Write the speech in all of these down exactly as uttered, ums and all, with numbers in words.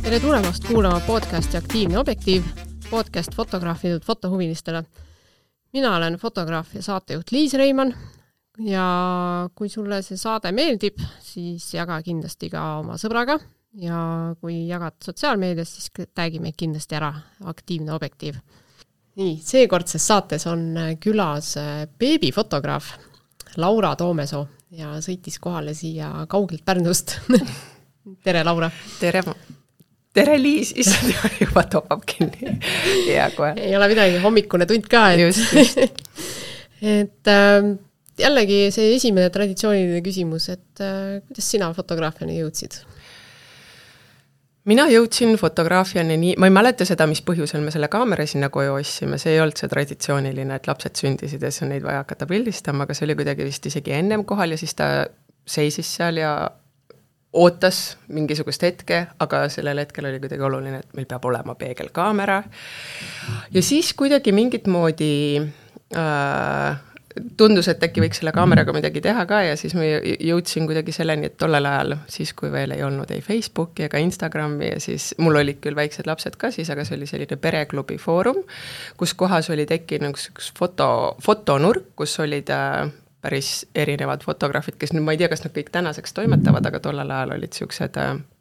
Tere tulemast kuulama podcasti Aktiivne objektiiv, podcast fotograafidelt fotohuvilistele. Mina olen fotograaf ja saatejuht Liis Reimann ja kui sulle see saade meeldib, siis jaga kindlasti ka oma sõbraga ja kui jagad sotsiaalmeedias, siis tagi meid kindlasti ära Aktiivne objektiiv. Nii, seekordses saates on külas beebifotograaf Laura Toomesoo ja sõitis kohale siia kaugelt Pärnust. Tere, Laura! Tere! Tere Liis, issand juba topab kinni. Ja, kohe. Ei ole midagi, hommikune tund ka. Et, just, just. et äh, jällegi see esimene traditsiooniline küsimus, et äh, kuidas sina fotograafiani jõudsid? Mina jõudsin fotograafiani nii, ma ei mäleta seda, mis põhjusel me selle kaamera sinna koju ossime, see ei olnud see traditsiooniline, et lapsed sündisid ja siis on neid vaja hakata pildistama, aga see oli kuidagi vist isegi ennem kohal ja siis ta seisis seal ja ootas mingisugust hetke, aga sellel hetkel oli kuidagi oluline, et meil peab olema peegelkaamera. Ja siis kuidagi mingit moodi äh, tundus, et äkki võiks selle kaameraga midagi teha ka ja siis ma jõudsin kuidagi selleni, et tollel ajal, siis kui veel ei olnud ei Facebooki ega Instagrami ja siis mul olid küll väiksed lapsed ka siis, aga see oli selline pereklubi foorum, kus kohas oli tekkinud üks foto, fotonurk, kus olid äh, päris erinevad fotograafid, kes nüüd ma ei tea, kas nad kõik tänaseks toimetavad, aga tollel ajal olid siuksed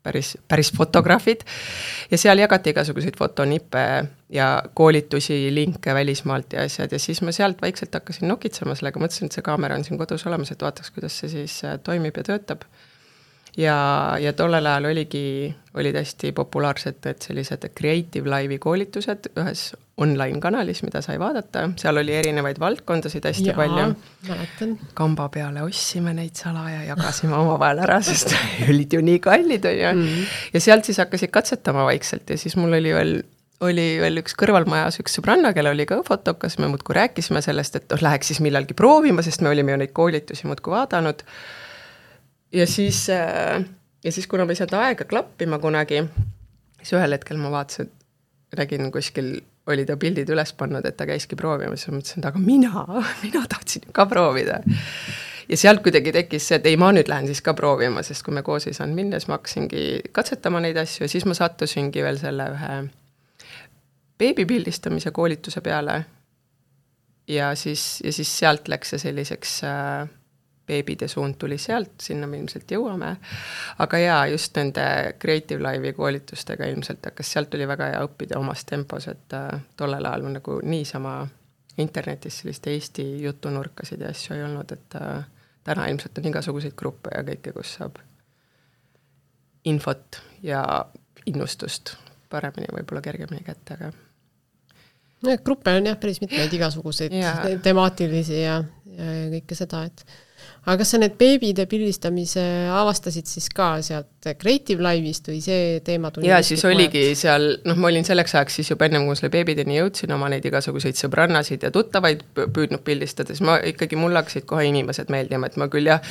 päris, päris fotograafid ja seal jagati igasuguseid fotonippe ja koolitusi, linke välismaalt ja asjad ja siis ma sealt vaikselt hakkasin nokitsema sellega, mõtlesin, et see kaamera on siin kodus olemas, et vaataks, kuidas see siis toimib ja töötab. Ja, ja tollel ajal oligi, olid hästi populaarsed et sellised Creative Live'i koolitused ühes online kanalis, mida sai vaadata. Seal oli erinevaid valdkondasid hästi Jaa, palju. mäletan. Kamba peale ossime neid sala ja jagasime oma vahel ära, sest olid ju nii kallid. Ja, mm. ja sealt siis hakkasid katsetama vaikselt ja siis mul oli veel, oli veel üks kõrvalmajas üks sõbranna, kelle oli ka fotokas. Me muudku rääkisime sellest, et oh, läheks siis millalgi proovima, sest me olime ju neid koolitusi muudku vaadanud. Ja siis, ja siis kuna ma ei saanud aega klappima kunagi, siis ühel hetkel ma vaatasin, nägin kuskil, oli ta pildid üles pannud, et ta käiski proovima, siis ma mõtlesin, et aga mina, mina tahtsin ka proovida. Ja sealt kuidagi tekkis see, et ei, ma nüüd lähen siis ka proovima, sest kui me koos ei saanud minna, siis ma hakkasingi katsetama neid asju ja siis ma sattusingi veel selle ühe beebipildistamise koolituse peale ja siis, ja siis sealt läks see selliseks beebide suund tuli sealt, sinna me ilmselt jõuame. Aga jaa, just nende Creative Live'i koolitustega ilmselt hakkas, sealt tuli väga hea õppida omas tempos, et äh, tollel ajal nagu niisama internetis sellist Eesti jutunurkasid ja asju ei olnud, et äh, täna ilmselt on igasuguseid gruppe ja kõike, kus saab infot ja innustust paremini, võib-olla kergemini kätte, aga no, gruppe on jah päris mitmeid igasuguseid ja. temaatilisi ja, ja kõike seda, et aga kas sa need beebide pildistamise avastasid siis ka sealt Creative Live'ist või see teema tuli? Ja siis oligi seal, noh ma olin selleks ajaks siis juba ennem kui selle beebideni jõudsin oma neid igasuguseid sõbrannasid ja tuttavaid püüdnud pildistada, siis ma ikkagi mul hakkasid kohe inimesed meeldima, et ma küll jah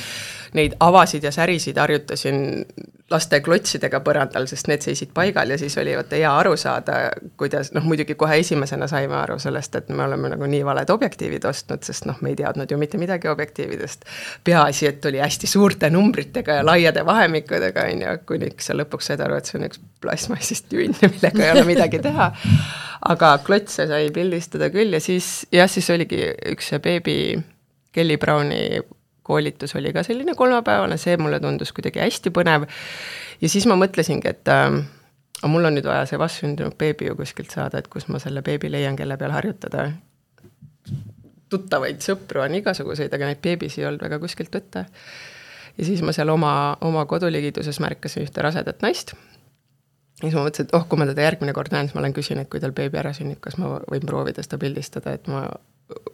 neid avasid ja särisid harjutasin laste klotsidega põrandal, sest need seisid paigal ja siis oli vaata hea aru saada, kuidas, noh muidugi kohe esimesena saime aru sellest, et me oleme nagu nii valed objektiivid ostnud, sest noh me ei teadnud ju mitte midagi objektiividest. Peaasi, et oli hästi suurte numbritega ja laiade vahemikudega, ja kuniks sa lõpuks said aru, et see on üks plastmassist tünn, millega ei ole midagi teha. Aga klotse sai pildistada küll ja siis, jah, siis oligi üks beebi Kelly Browni koolitus oli ka selline kolmapäevane, see mulle tundus kuidagi hästi põnev. Ja siis ma mõtlesingi, et äh, mul on nüüd vaja see vastsündinud beebi ju kuskilt saada, et kus ma selle beebi leian, kelle peal harjutada. Tuttavaid sõpru on igasuguseid, aga neid beebis ei olnud väga kuskilt võtta. Ja siis ma seal oma, oma koduligituses märkasin ühte rasedat naist. Ja siis ma mõtlesin, et oh, kui ma teda järgmine kord näen, siis ma olen küsin, et kui tal beebi ära sünnib, kas ma võin proovida seda pildistada, et ma,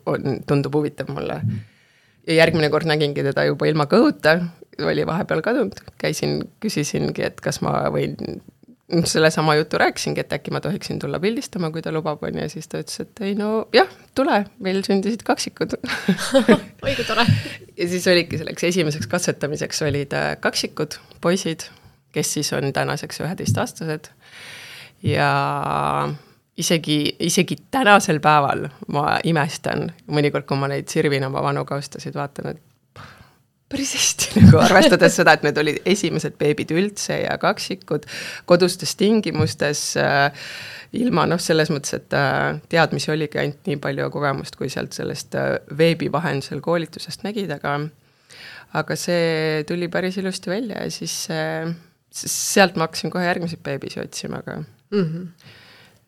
on, tundub huvitav mulle. Ja järgmine kord nägingi teda juba ilma kõhuta, oli vahepeal kadunud. Käisin, küsisingi, et kas ma võin, selle sama jutu rääkisingi, et äkki ma tohiksin tulla pildistama, kui ta lubab on ja siis ta ütles, et ei no jah, tule, meil sündisid kaksikud. Oi, kui tore. Ja siis oligi selleks esimeseks katsetamiseks olid kaksikud, poisid, kes siis on tänaseks üheteistaastased ja isegi, isegi tänasel päeval ma imestan, mõnikord kui ma neid sirvin oma vanu kaustasid, vaatan, et päris hästi nagu arvestades seda, et need olid esimesed beebid üldse ja kaksikud kodustes tingimustes äh, ilma noh, selles mõttes, et äh, teadmisi oligi ainult nii palju kogemust, kui sealt sellest äh, veebi vahendusel koolitusest nägid, aga aga see tuli päris ilusti välja ja siis äh, sealt ma hakkasin kohe järgmiseid beebisi otsima, aga mm-hmm.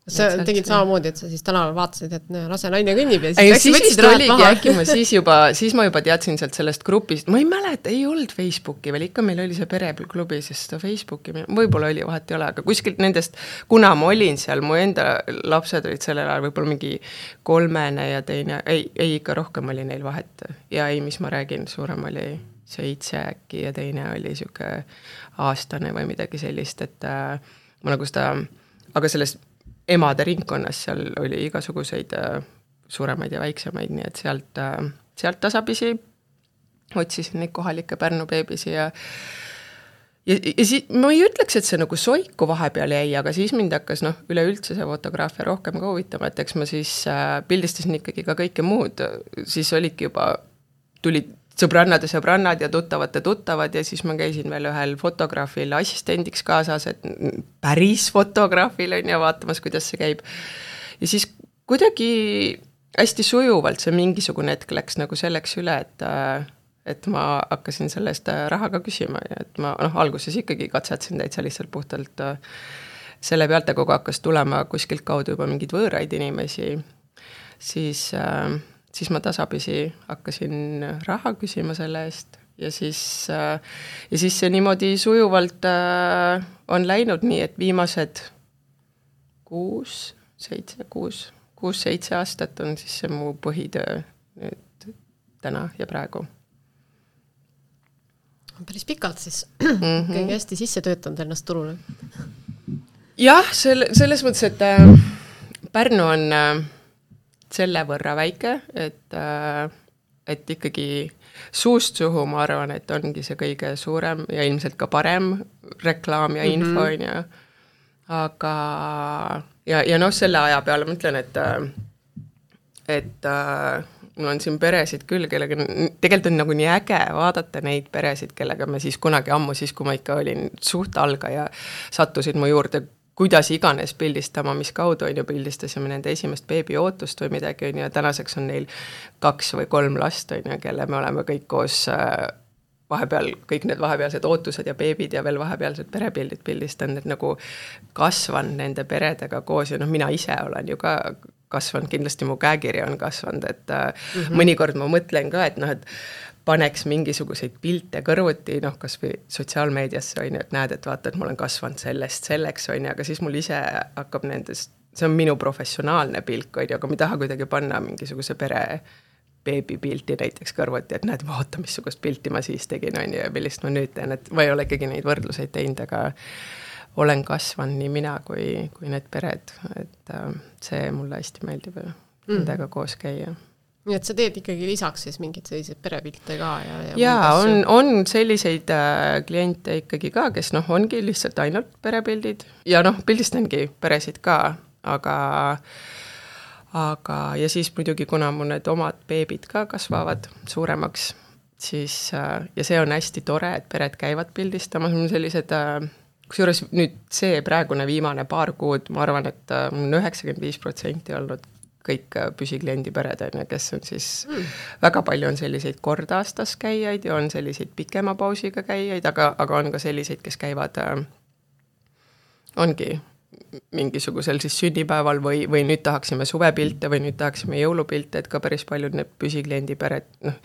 Sa tegid samamoodi, et sa siis tänaval vaatasid, et no, lase naine kõnnib ja siis, ei, siis vist oligi äkki, ma siis juba, siis ma juba teadsin sealt sellest grupist, ma ei mäleta, ei olnud Facebooki veel, ikka meil oli see pereklubi, sest seda Facebooki, võib-olla oli, vahet ei ole, aga kuskilt nendest, kuna ma olin seal, mu enda lapsed olid sellel ajal võib-olla mingi kolmene ja teine, ei, ei ikka rohkem oli neil vahet ja ei, mis ma räägin, suurem oli seitse äkki ja teine oli siuke aastane või midagi sellist, et äh, ma nagu seda, aga sellest emade ringkonnas seal oli igasuguseid äh, suuremaid ja väiksemaid, nii et sealt, äh, sealt tasapisi otsisin neid kohalikke Pärnu beebisi ja ja, ja siis ma ei ütleks, et see nagu soiku vahepeal jäi, aga siis mind hakkas noh, üleüldse see fotograafia rohkem ka huvitama, et eks ma siis äh, pildistasin ikkagi ka kõike muud, siis olidki juba, tulid sõbrannade sõbrannad ja tuttavate tuttavad ja siis ma käisin veel ühel fotograafil assistendiks kaasas, et päris fotograafil on ja vaatamas, kuidas see käib. Ja siis kuidagi hästi sujuvalt see mingisugune hetk läks nagu selleks üle, et, et ma hakkasin sellest raha ka küsima ja et ma noh, alguses ikkagi katsetasin täitsa lihtsalt puhtalt selle pealt, aga kui hakkas tulema kuskilt kaudu juba mingid võõraid inimesi, siis siis ma tasapisi hakkasin raha küsima selle eest ja siis, ja siis see niimoodi sujuvalt on läinud nii, et viimased kuus, seitse, kuus, kuus, seitse aastat on siis see mu põhitöö nüüd täna ja praegu. Päris pikalt siis mm-hmm. kõige hästi sisse töötanud ennast turule. Jah, selle, selles mõttes, et äh, Pärnu on äh, selle võrra väike, et, et ikkagi suust suhu ma arvan, et ongi see kõige suurem ja ilmselt ka parem reklaam ja info mm-hmm. on ja aga ja, ja noh, selle aja peale ma ütlen, et et mul on siin peresid küll, kellega tegelikult on nagu nii äge vaadata neid peresid, kellega me siis kunagi ammu, siis kui ma ikka olin suht alga ja sattusid mu juurde kuidas iganes pildistama, mis kaudu on ju pildistasime nende esimest beebi ootust või midagi on ja tänaseks on neil kaks või kolm last on ja kelle me oleme kõik koos vahepeal, kõik need vahepealsed ootused ja beebid ja veel vahepealsed perepildid pildistanud, et nagu kasvan nende peredega koos ja noh, mina ise olen ju ka kasvanud, kindlasti mu käekiri on kasvanud, et mm-hmm. mõnikord ma mõtlen ka, et noh, et paneks mingisuguseid pilte kõrvuti, noh, kas või sotsiaalmeediasse on ju, et näed, et vaata, et ma olen kasvanud sellest selleks on ju, aga siis mul ise hakkab nendest, see on minu professionaalne pilk on ju, aga ma ei taha kuidagi panna mingisuguse pere beebi pilti näiteks kõrvuti, et näed, vaata, missugust pilti ma siis tegin on ju ja millist ma nüüd teen, et ma ei ole ikkagi neid võrdluseid teinud, aga olen kasvanud nii mina kui, kui need pered, et see mulle hästi meeldib ja mm. nendega koos käia. Nii et sa teed ikkagi lisaks siis mingid sellised perepilte ka? Ja, ja, ja on, on selliseid äh, kliente ikkagi ka, kes noh, ongi lihtsalt ainult perepildid ja noh, pildistangi peresid ka, aga, aga ja siis muidugi, kuna mu need omad beebid ka kasvavad suuremaks, siis äh, ja see on hästi tore, et pered käivad pildistamas, mul sellised äh, kusjuures nüüd see praegune viimane paar kuud, ma arvan, et äh, mul on üheksakümmend viis protsenti olnud kõik püsikliendi pered, kes on siis mm. väga palju on selliseid kord aastas käijaid ja on selliseid pikema pausiga käijaid, aga, aga on ka selliseid, kes käivad äh, ongi mingisugusel siis sünnipäeval või, või nüüd tahaksime suvepilte või nüüd tahaksime jõulupilte, et ka päris paljud need püsikliendi pered, noh,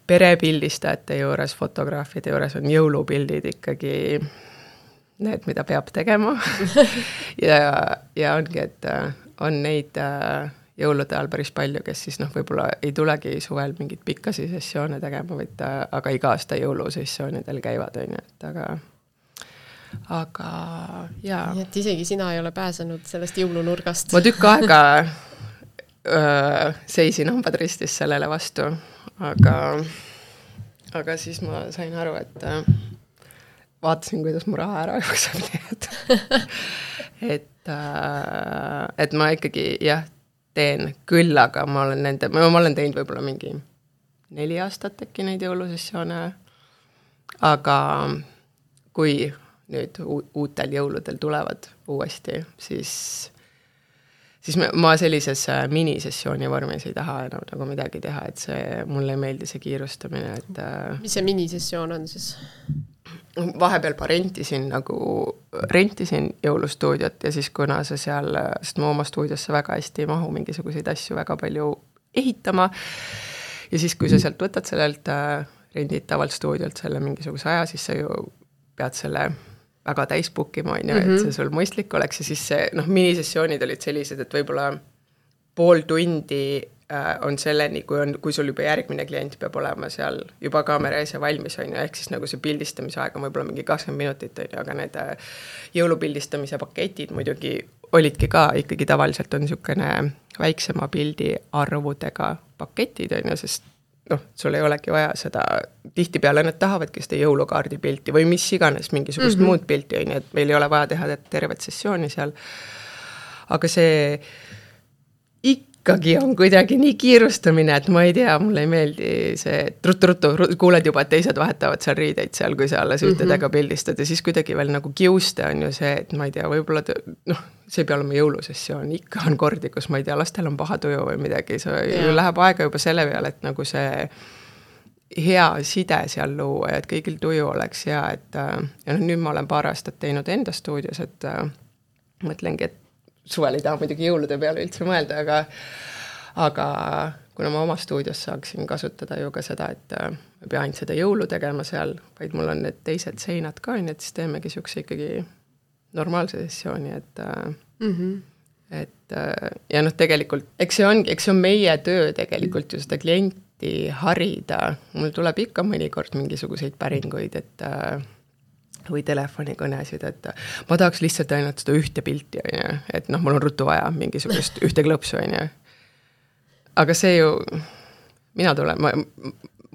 perepildistajate juures, fotograafide juures on jõulupildid ikkagi need, mida peab tegema ja, ja ongi, et on neid äh, jõulude ajal päris palju, kes siis noh, võib-olla ei tulegi suvel mingit pikkasi sessioone tegema, vaid äh, aga iga aasta jõulusessioonidel käivad, on ju, et aga aga jaa. Nii et isegi sina ei ole pääsenud sellest jõulunurgast. Ma tükk aega öö, seisin hambad ristis sellele vastu, aga, aga siis ma sain aru, et äh, vaatasin, kuidas mu raha ära jookseb, nii et et et ma ikkagi jah, teen küll, aga ma olen nende, ma olen teinud võib-olla mingi neli aastat äkki neid jõulusessioone, aga kui nüüd uutel jõuludel tulevad uuesti, siis, siis ma sellises minisessiooni vormis ei taha enam nagu midagi teha, et see, mulle ei meeldi see kiirustamine, et mis see minisessioon on siis? Vahepeal ma rentisin nagu, rentisin jõulustuudiot ja siis kuna see seal, sest ma oma stuudiosse väga hästi ei mahu mingisuguseid asju väga palju ehitama ja siis, kui sa sealt võtad sellelt rendid tavalt stuudiolt selle mingisuguse aja, siis sa ju pead selle väga täis bookima, on ju, et see sul mõistlik oleks ja siis see, noh, minisessioonid olid sellised, et võib-olla pool tundi on selleni, kui, on, kui sul juba järgmine klient peab olema seal juba kaamera ees ja valmis, on ju, ehk siis nagu see pildistamise aeg on võib-olla mingi kakskümmend minutit, on ju, aga need jõulupildistamise paketid muidugi olidki ka ikkagi tavaliselt on niisugune väiksema pildi arvudega paketid, on ju, sest noh, sul ei olegi vaja seda, tihtipeale nad tahavadki seda jõulukaardi pilti või mis iganes mingisugust mm-hmm. muud pilti, on ju, et meil ei ole vaja teha tervet sessiooni seal, aga see ikkagi on kuidagi nii kiirustamine, et ma ei tea, mulle ei meeldi see, et ruttu-ruttu, kuuled juba, et teised vahetavad seal riideid seal, kui sa alles ühtedega mm-hmm. pildistad ja siis kuidagi veel nagu kiuste on ju see, et ma ei tea, võib-olla noh, see ei pea olema jõulusessioon, ikka on kordi, kus ma ei tea, lastel on paha tuju või midagi, see yeah. läheb aega juba selle peale, et nagu see hea side seal luua ja et kõigil tuju oleks hea, et ja noh, nüüd ma olen paar aastat teinud enda stuudios, et mõtlengi, et suvel ei taha muidugi jõulude peale üldse mõelda, aga, aga kuna ma oma stuudios saaksin kasutada ju ka seda, et ma pea ainult seda jõulu tegema seal, vaid mul on need teised seinad ka, et siis teemegi siukse ikkagi normaalse sessiooni, et, mm-hmm. et ja noh, tegelikult, eks see ongi, eks see on meie töö tegelikult ju seda klienti harida, mul tuleb ikka mõnikord mingisuguseid päringuid, et või telefonikõnesid, et ma tahaks lihtsalt ainult seda ühte pilti, on ju, et noh, mul on ruttu vaja mingisugust ühte klõpsu, on ju. Aga see ju, mina tulen, ma,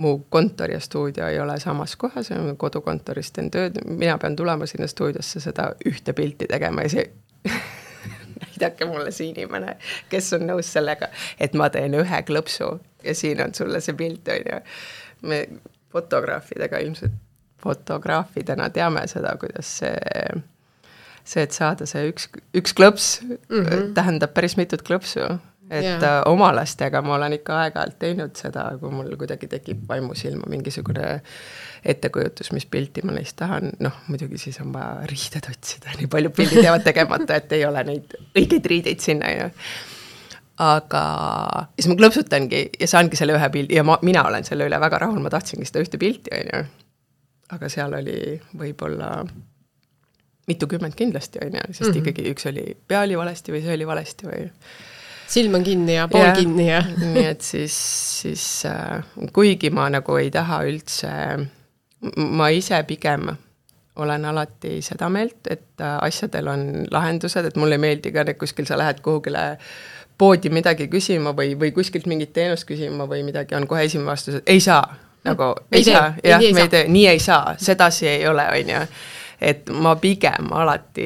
mu kontor ja stuudio ei ole samas kohas, kodukontorist teen tööd, mina pean tulema sinna stuudiosse seda ühte pilti tegema ja see näidake mulle see inimene, kes on nõus sellega, et ma teen ühe klõpsu ja siin on sulle see pilt, on ju. Me fotograafidega ilmselt fotograafidena teame seda, kuidas see, see et saada see üks, üks klõps mm-hmm. tähendab päris mitut klõpsu, et yeah. oma lastega ma olen ikka aeg-ajalt teinud seda, kui mul kuidagi tekib vaimusilma mingisugune ettekujutus, mis pilti ma neist tahan, noh, muidugi siis on vaja riided otsida, nii palju pildid jäävad tegemata, et ei ole neid õigeid riideid sinna, ju. Aga siis ma klõpsutangi ja saangi selle ühe pildi ja ma, mina olen selle üle väga rahul, ma tahtsingi seda ühte pilti, on ju. Aga seal oli võib-olla mitukümmend kindlasti, on ju, sest mm-hmm. ikkagi üks oli pea oli valesti või see oli valesti või silm on kinni ja pool ja, kinni ja nii et siis, siis äh, kuigi ma nagu ei taha üldse, ma ise pigem olen alati seda meelt, et äh, asjadel on lahendused, et mulle ei meeldi ka, et kuskil sa lähed kuhugile poodi midagi küsima või, või kuskilt mingit teenust küsima või midagi on kohe esimene vastus, et ei saa nagu me ei saa, jah, me ei tee, nii ei saa, sedasi ei ole, on ju, et ma pigem alati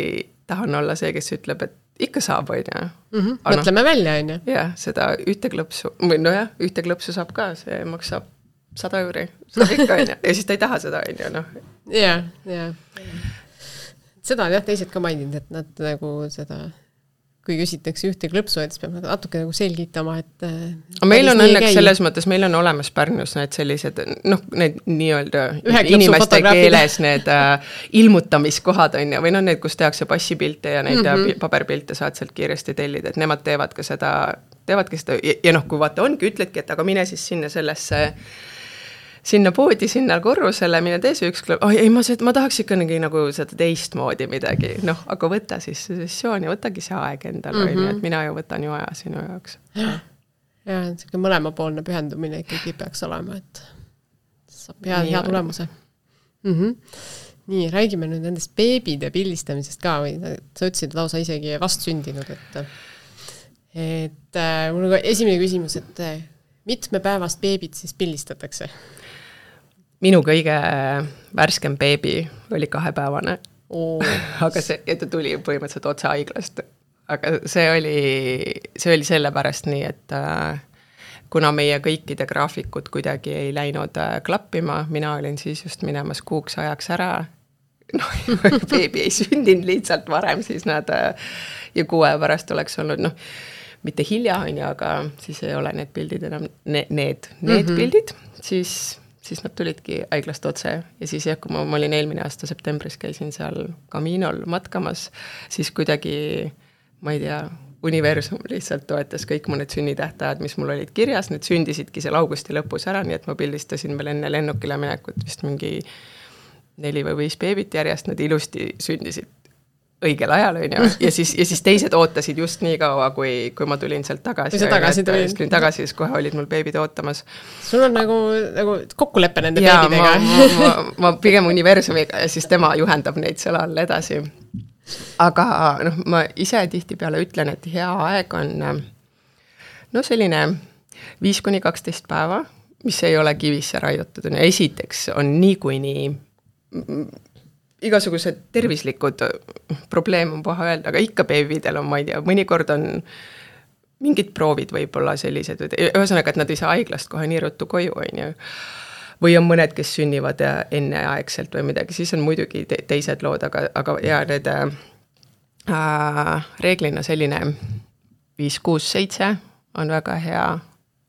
tahan olla see, kes ütleb, et ikka saab, on ju. Mm-hmm. Mõtleme no, välja, on ju. Jah, seda ühte klõpsu, või no jah, ühte klõpsu saab ka, see maksab sada euri, saab ikka, on ju, ja siis ta ei taha seda, on ju, noh. Jah, jah. Seda on jah teised ka maininud, et nad nagu seda kui küsitakse ühte klõpsu, et siis peab natuke nagu selgitama, et meil on õnneks käi. Selles mõttes, meil on olemas Pärnus need sellised, noh, need nii-öelda inimeste keeles need äh, ilmutamiskohad on ja, või noh, need, kus tehakse passipilte ja neid mm-hmm. paberpilte saad sealt kiiresti tellida, et nemad teevad ka seda, teevadki seda ja, ja noh, kui vaata ongi, ütledki, et aga mine siis sinna sellesse sinna poodi, sinna korrusele, mine tee see üks klõp, oh, ei, ma, ma tahaks ikka nagu seda teistmoodi midagi, noh, aga võta siis sessiooni, võtagi see aeg endale, mm-hmm. et mina ju võtan ju aja sinu jaoks. Ja, selline mõlemapoolne pühendumine ikkagi peaks olema, et saab hea, hea tulemuse. Mm-hmm. Nii, räägime nüüd nendest beebide pildistamisest ka, või sa ütlesid lausa isegi vastsündinud, et, et äh, mul on esimene küsimus, et mitme päevast beebid siis pildistatakse? Minu kõige värskem beebi oli kahepäevane, oh. aga see, ja ta tuli põhimõtteliselt otse haiglast, aga see oli, see oli sellepärast nii, et äh, kuna meie kõikide graafikud kuidagi ei läinud klappima, mina olin siis just minemas kuuks ajaks ära, noh, beebi ei sündinud lihtsalt varem, siis nad ja kuue pärast oleks olnud, noh, mitte hilja on ju, aga siis ei ole need pildid enam, need, need, need mm-hmm. pildid, siis, siis nad tulidki haiglast otse ja siis jah, kui ma, ma olin eelmine aasta septembris, käisin seal Caminol matkamas, siis kuidagi, ma ei tea, universum lihtsalt toetas kõik mu need sünnitähtajad, mis mul olid kirjas, need sündisidki seal augusti lõpus ära, nii et ma pildistasin veel enne lennukile minekut vist mingi neli või viis beebit järjest, nad ilusti sündisid õigel ajal, on ju, ja siis, ja siis teised ootasid just nii kaua, kui, kui ma tulin sealt tagasi. Kui sa tagasi tulin? Tulin tagasi, siis kohe olid mul beebid ootamas. Sul on nagu, nagu kokkuleppe nende ja, beebidega. Ma, ma, ma, ma pigem universumiga ja siis tema juhendab neid seal all edasi. Aga noh, ma ise tihti peale ütlen, et hea aeg on no selline viis kuni kaksteist päeva, mis ei ole kivisse raiutud. Esiteks on nii kui nii igasugused tervislikud probleem on paha öelda, aga ikka beebidel on, ma ei tea, mõnikord on mingid proovid võib-olla sellised, ühesõnaga, et nad ei saa haiglast kohe nii ruttu koju, on ju. Või on mõned, kes sünnivad enneaegselt või midagi, siis on muidugi te teised lood, aga, aga ja need äh, reeglina selline viis, kuus, seitse on väga hea,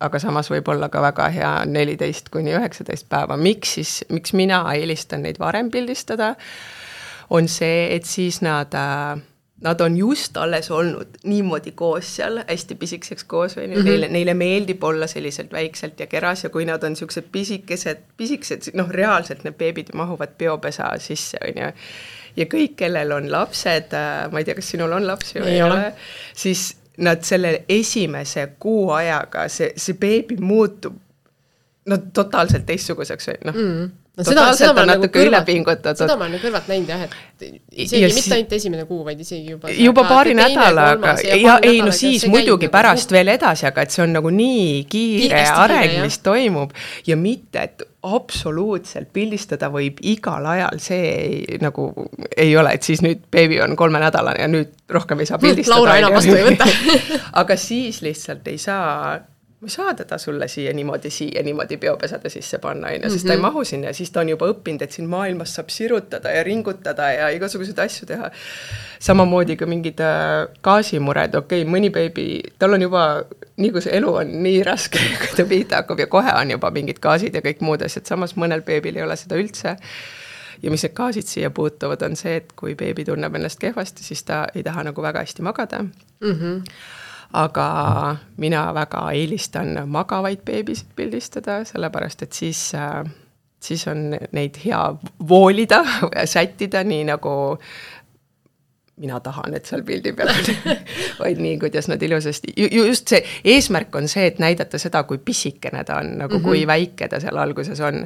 aga samas võib olla ka väga hea neliteist kuni üheksateist päeva. Miks siis, miks mina eelistan neid varem pildistada, on see, et siis nad, nad on just alles olnud niimoodi koos seal, hästi pisikseks koos, või mm-hmm. neile, neile meeldib olla selliselt väikselt ja keras ja kui nad on niisugused pisikesed, pisikesed, noh reaalselt need beebid mahuvad biopesa sisse, on ju. Ja kõik, kellel on lapsed, ma ei tea, kas sinul on lapsi või ei ole, siis nad selle esimese kuu ajaga, see, see beebi muutub no totaalselt teistsuguseks, noh. Mm. No totaalselt seda, seda on natuke nagu üle pingutatud. Seda ma olen kõrvalt näinud jah, et isegi ja mitte si ainult esimene kuu, vaid isegi juba juba paari nädalaga ja, ja ei no siis muidugi nagu pärast veel edasi, aga et see on nagu nii kiire areng, mis toimub ja mitte, et absoluutselt pildistada võib igal ajal, see ei, nagu ei ole, et siis nüüd beebi on kolmenädalane ja nüüd rohkem ei saa pildistada. Laura enam vastu ei võta. Aga siis lihtsalt ei saa ma ei saa teda sulle siia niimoodi, siia niimoodi biopesade sisse panna, aina, sest mm-hmm. ta ei mahu sinna ja siis ta on juba õppinud, et siin maailmas saab sirutada ja ringutada ja igasuguseid asju teha. Samamoodi ka mingid gaasimured, okei, okay, mõni beebi, tal on juba, nii kui see elu on nii raske, kui ta pihta hakkab ja kohe on juba mingid gaasid ja kõik muud asjad, samas mõnel beebil ei ole seda üldse. Ja mis need gaasid siia puutuvad, on see, et kui beebi tunneb ennast kehvasti, siis ta ei taha nagu väga hästi magada. Mhm. Aga mina väga eelistan magavaid beebisid pildistada, sellepärast, et siis, siis on neid hea voolida ja sättida nii nagu mina tahan, et seal pildi peal vaid nii, kuidas nad ilusasti, just see eesmärk on see, et näidata seda, kui pisikene ta on, nagu mm-hmm. kui väike ta seal alguses on.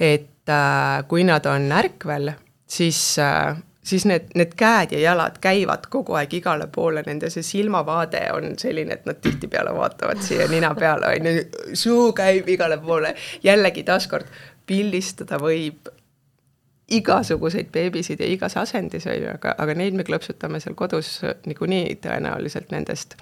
Et äh, kui nad on ärkvel, siis äh, siis need, need käed ja jalad käivad kogu aeg igale poole, nende see silmavaade on selline, et nad tihti peale vaatavad siia nina peale, suu käib igale poole, jällegi taaskord pildistada võib igasuguseid beebisid ja igas asendis, aga, aga neid me klõpsutame seal kodus niikuinii tõenäoliselt nendest.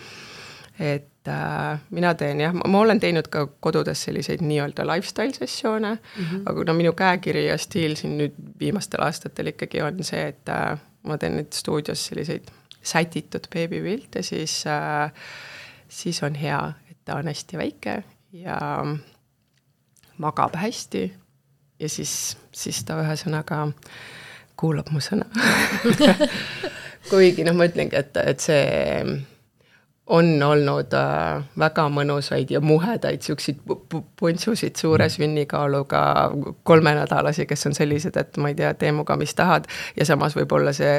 Et äh, mina teen jah, ma, ma olen teinud ka kodudes selliseid nii-öelda lifestyle sessioone, mm-hmm. aga no minu käekiri ja stiil siin nüüd viimastel aastatel ikkagi on see, et äh, ma teen nüüd stuudios selliseid sätitud beebipilte, siis, äh, siis on hea, et ta on hästi väike ja magab hästi ja siis, siis ta ühesõnaga kuulab mu sõna. Kuigi noh, ma ütlengi, et, et see on olnud äh, väga mõnusaid ja muhedaid siukseid puntsusid suure sünnikaaluga kolmenädalasi, kes on sellised, et ma ei tea, tee muga, mis tahad ja samas võib olla see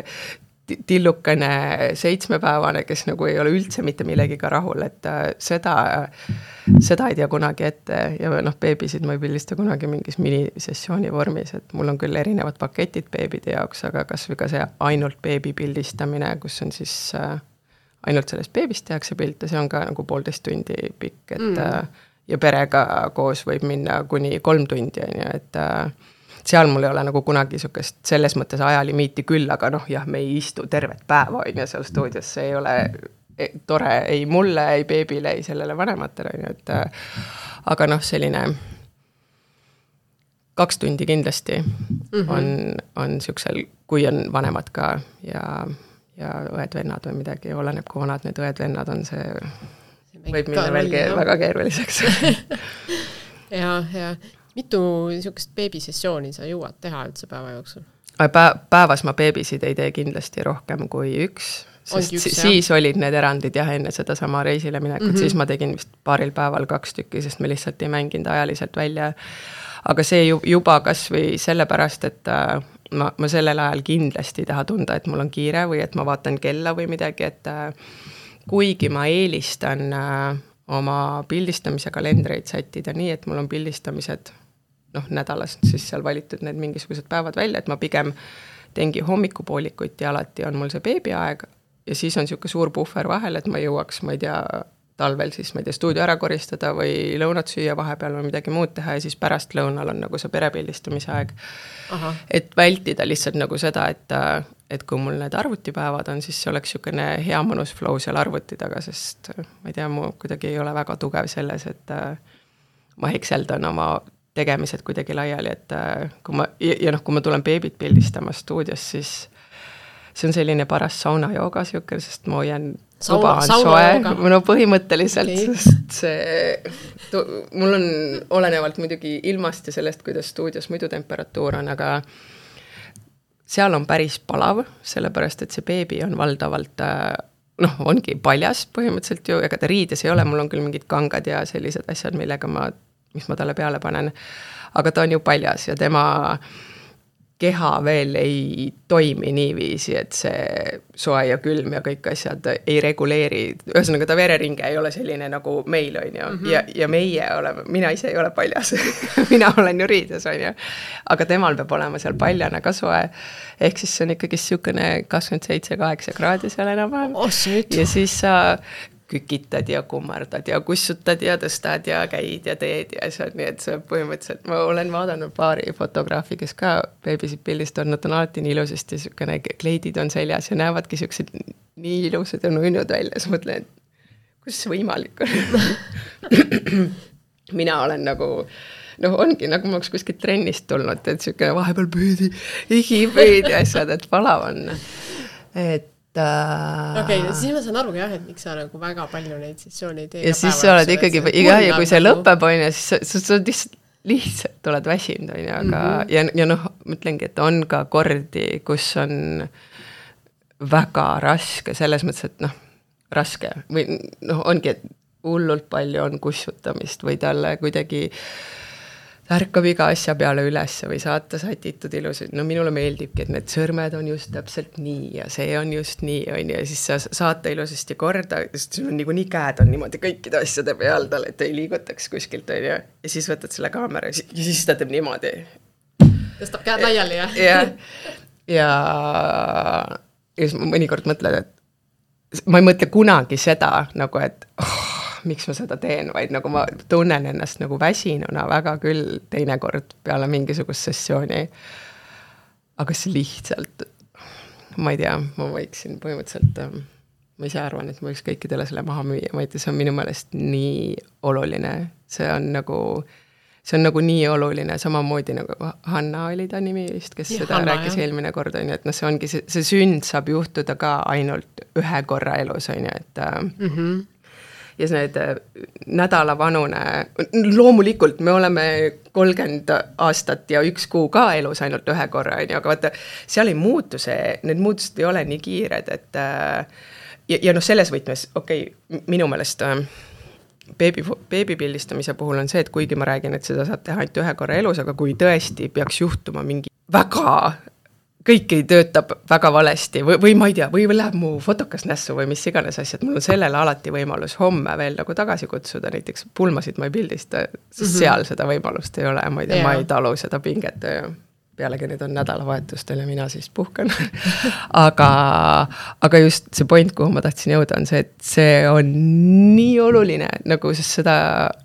tillukene seitsmepäevane, kes nagu ei ole üldse mitte millegiga rahul, et äh, seda, seda ei tea kunagi ette ja noh, beebisid ma ei pildista kunagi mingis minisessiooni vormis, et mul on küll erinevad paketid beebide jaoks, aga kas või ka see ainult beebi pildistamine, kus on siis äh, ainult sellest beebist tehakse pilte, see on ka nagu poolteist tundi pikk, et mm. ja perega koos võib minna kuni kolm tundi, et seal mul ei ole nagu kunagi niisugust selles mõttes ajalimiiti küll, aga noh, jah, me ei istu tervet päeva, ja seal stuudios see ei ole, tore ei mulle, ei beebile, ei sellele vanematele, on ju, et aga noh, selline kaks tundi kindlasti mm-hmm. on, on siuksel, kui on vanemad ka ja, ja õed-vennad või midagi, oleneb, kui vanad need õed-vennad on, see, see võib minna veel ke- väga keeruliseks. ja, ja mitu niisugust beebisessiooni sa jõuad teha üldse päeva jooksul? Päevas ma beebisid ei tee kindlasti rohkem kui üks, sest üks, siis jah. Olid need erandid jah, enne seda sama reisile minekut, mm-hmm. siis ma tegin vist paaril päeval kaks tükki, sest me lihtsalt ei mänginud ajaliselt välja. Aga see juba kas või sellepärast, et ma, ma sellel ajal kindlasti ei taha tunda, et mul on kiire või et ma vaatan kella või midagi, et kuigi ma eelistan oma pildistamise kalendreid sättida nii, et mul on pildistamised noh, nädalas siis seal valitud need mingisugused päevad välja, et ma pigem teengi hommikupoolikuid ja alati on mul see beebiaeg ja siis on siuke suur puhver vahel, et ma jõuaks, ma ei tea, talvel siis, ma ei tea, stuudio ära koristada või lõunat süüa vahepeal või midagi muud teha ja siis pärast lõunal on nagu see perepildistamise aeg. Aha. Et vältida lihtsalt nagu seda, et, et kui mul need arvutipäevad on, siis see oleks siukene hea mõnus flow seal arvuti taga, sest ma ei tea, mu kuidagi ei ole väga tugev selles, et ma hekseldan oma tegemised kuidagi laiali, et kui ma, ja, ja noh, kui ma tulen beebit pildistama stuudios, siis see on selline paras saunajooga siuke, sest ma hoian tuba on soe, no põhimõtteliselt, okay. Sest see, tu, mul on olenevalt muidugi ilmast ja sellest, kuidas stuudios muidu temperatuur on, aga seal on päris palav, sellepärast, et see beebi on valdavalt noh, ongi paljas põhimõtteliselt ju, ega ta riides ei ole, mul on küll mingid kangad ja sellised asjad, millega ma mis ma talle peale panen, aga ta on ju paljas ja tema keha veel ei toimi niiviisi, et see soe ja külm ja kõik asjad ei reguleeri, ühesõnaga ta vereringe ei ole selline nagu meil on ju, mm-hmm. ja, ja meie oleme, mina ise ei ole paljas, mina olen ju riides on ju, aga temal peab olema seal paljana ka soe, ehk siis see on ikkagi siukene kakskümmend seitse kaheksa kraadi seal enam-vähem oh, ja siis sa kükitad ja kummardad ja kussutad ja tõstad ja käid ja teed ja see on nii, et see põhimõtteliselt, ma olen vaadanud paari fotograafi, kes ka beebisid pildist on, nad on alati nii ilusasti, siukene kleidid on seljas ja näevadki siuksed nii ilusad ja nunnud välja, siis mõtlen, et kus see võimalik on? Mina olen nagu, noh ongi, nagu ma oleks kuskilt trennist tulnud, et siukene vahepeal püüdi, igipüüdi asjad, et palav on, et okei, okay, siis ma saan aru jah, et miks sa nagu väga palju neid sessioone ei tee. Ja siis sa oled ikkagi, iga ja kui see lõpeb on ja siis sa, sa lihtsalt, lihtsalt oled väsinud on ja, aga mm-hmm. ja, ja noh, mõtlengi, et on ka kordi, kus on väga raske, selles mõttes, et noh, raske või noh, ongi, et hullult palju on kussutamist või talle kuidagi ärkab iga asja peale üles või saata sätitud ilusad. No minule meeldibki, et need sõrmed on just täpselt nii ja see on just nii on ja siis sa saata ilusasti korda, sest sul on nagu nii käed on niimoodi kõikide asjade peal tal, et ei liigutaks kuskilt on ja, ja siis võtad selle kaamera ja siis ta teeb niimoodi. Tõstab käed laiali jah? Ja, ja, ja siis mõnikord mõtled, et ma ei mõtle kunagi seda nagu, et oh, miks ma seda teen, vaid nagu ma tunnen ennast nagu väsinuna väga küll teinekord peale mingisugust sessiooni. Aga see lihtsalt, ma ei tea, ma võiksin põhimõtteliselt, ma ise arvan, et ma võiks kõikidele selle maha müüa, ma ei tea, see on minu meelest nii oluline. See on nagu, see on nagu nii oluline, samamoodi nagu Hanna oli ta nimi vist, kes ja, seda Hanna, rääkis jah. Eelmine kord, on ju, et no see ongi, see, see sünd saab juhtuda ka ainult ühe korra elus, on ju, et mm-hmm. ja see need nädalavanune, loomulikult me oleme kolmkümmend aastat ja üks kuu ka elus ainult ühe korra, aga vaata, seal ei muutu see, need muutused ei ole nii kiired, et ja, ja noh, selles võtmes, okei, okay, minu meelest beebi, beebi pildistamise puhul on see, et kuigi ma räägin, et seda saab teha ainult ühe korra elus, aga kui tõesti peaks juhtuma mingi väga kõik ei töötab väga valesti või, või ma ei tea, või läheb mu fotokas nässu või mis iganes asjad, mul on sellele alati võimalus homme veel nagu tagasi kutsuda, näiteks pulmasid ma ei pildista, sest mm-hmm. seal seda võimalust ei ole, ma ei tea, yeah. ma ei talu seda pinget ja pealegi need on nädalavahetustel ja mina siis puhkan. aga, aga just see point, kuhu ma tahtsin jõuda, on see, et see on nii oluline, nagu sest seda,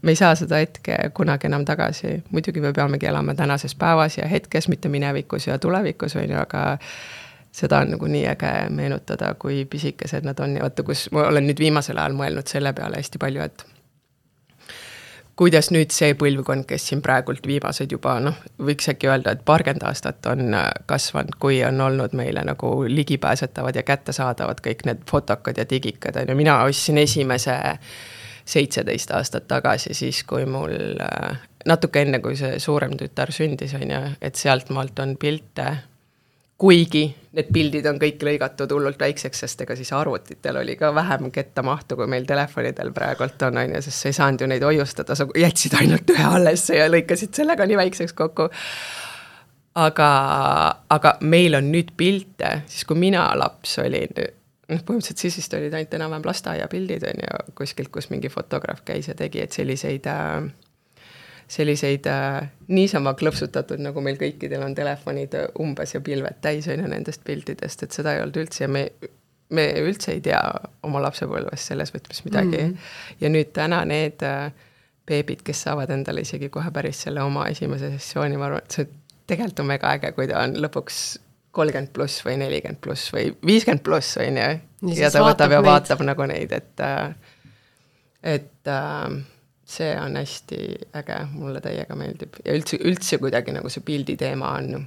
me ei saa seda hetke kunagi enam tagasi. Muidugi me peamegi elama tänases päevas ja hetkes, mitte minevikus ja tulevikus, või, aga seda on nagu nii äge meenutada, kui pisikesed nad on ja vaata, kus ma olen nüüd viimasel ajal mõelnud selle peale hästi palju, et kuidas nüüd see põlvkond, kes siin praegult viimased juba, noh, võiks äkki öelda, et paarkümmend aastat on kasvanud, kui on olnud meile nagu ligipääsetavad ja kättesaadavad kõik need fotokad ja digikad. Ja mina ostsin esimese seitseteist aastat tagasi, siis kui mul natuke enne, kui see suurem tütar sündis, on ja, et sealt maalt on pilte, kuigi need pildid on kõik lõigatud hullult väikseks, sest ega siis arvutitel oli ka vähem kettamahtu, kui meil telefonidel praegult on, on ja sest sa ei saanud ju neid hoiustada, sa jätsid ainult ühe allesse ja lõikasid sellega nii väikseks kokku. Aga, aga meil on nüüd pilte, siis kui mina laps olin, noh, põhimõtteliselt siis vist olid ainult enam-vähem lasteaia pildid on ja kuskilt, kus mingi fotograaf käis ja tegi, et selliseid selliseid äh, niisama klõpsutatud, nagu meil kõikidel on telefonid umbes ja pilved täis on ja nendest piltidest, et seda ei olnud üldse ja me, me üldse ei tea oma lapsepõlvest selles võtmes midagi. Mm -hmm. Ja nüüd täna need äh, beebid, kes saavad endale isegi kohe päris selle oma esimese sessiooni, ma arvan, et see tegelikult on väga äge, kui ta on lõpuks kolmkümmend pluss või nelikümmend pluss või viiskümmend pluss on ja, ja ta võtab ja vaatab neid. Nagu neid, et et äh, see on hästi äge, mulle täiega meeldib. Ja üldse, üldse kuidagi nagu see pildi teema on,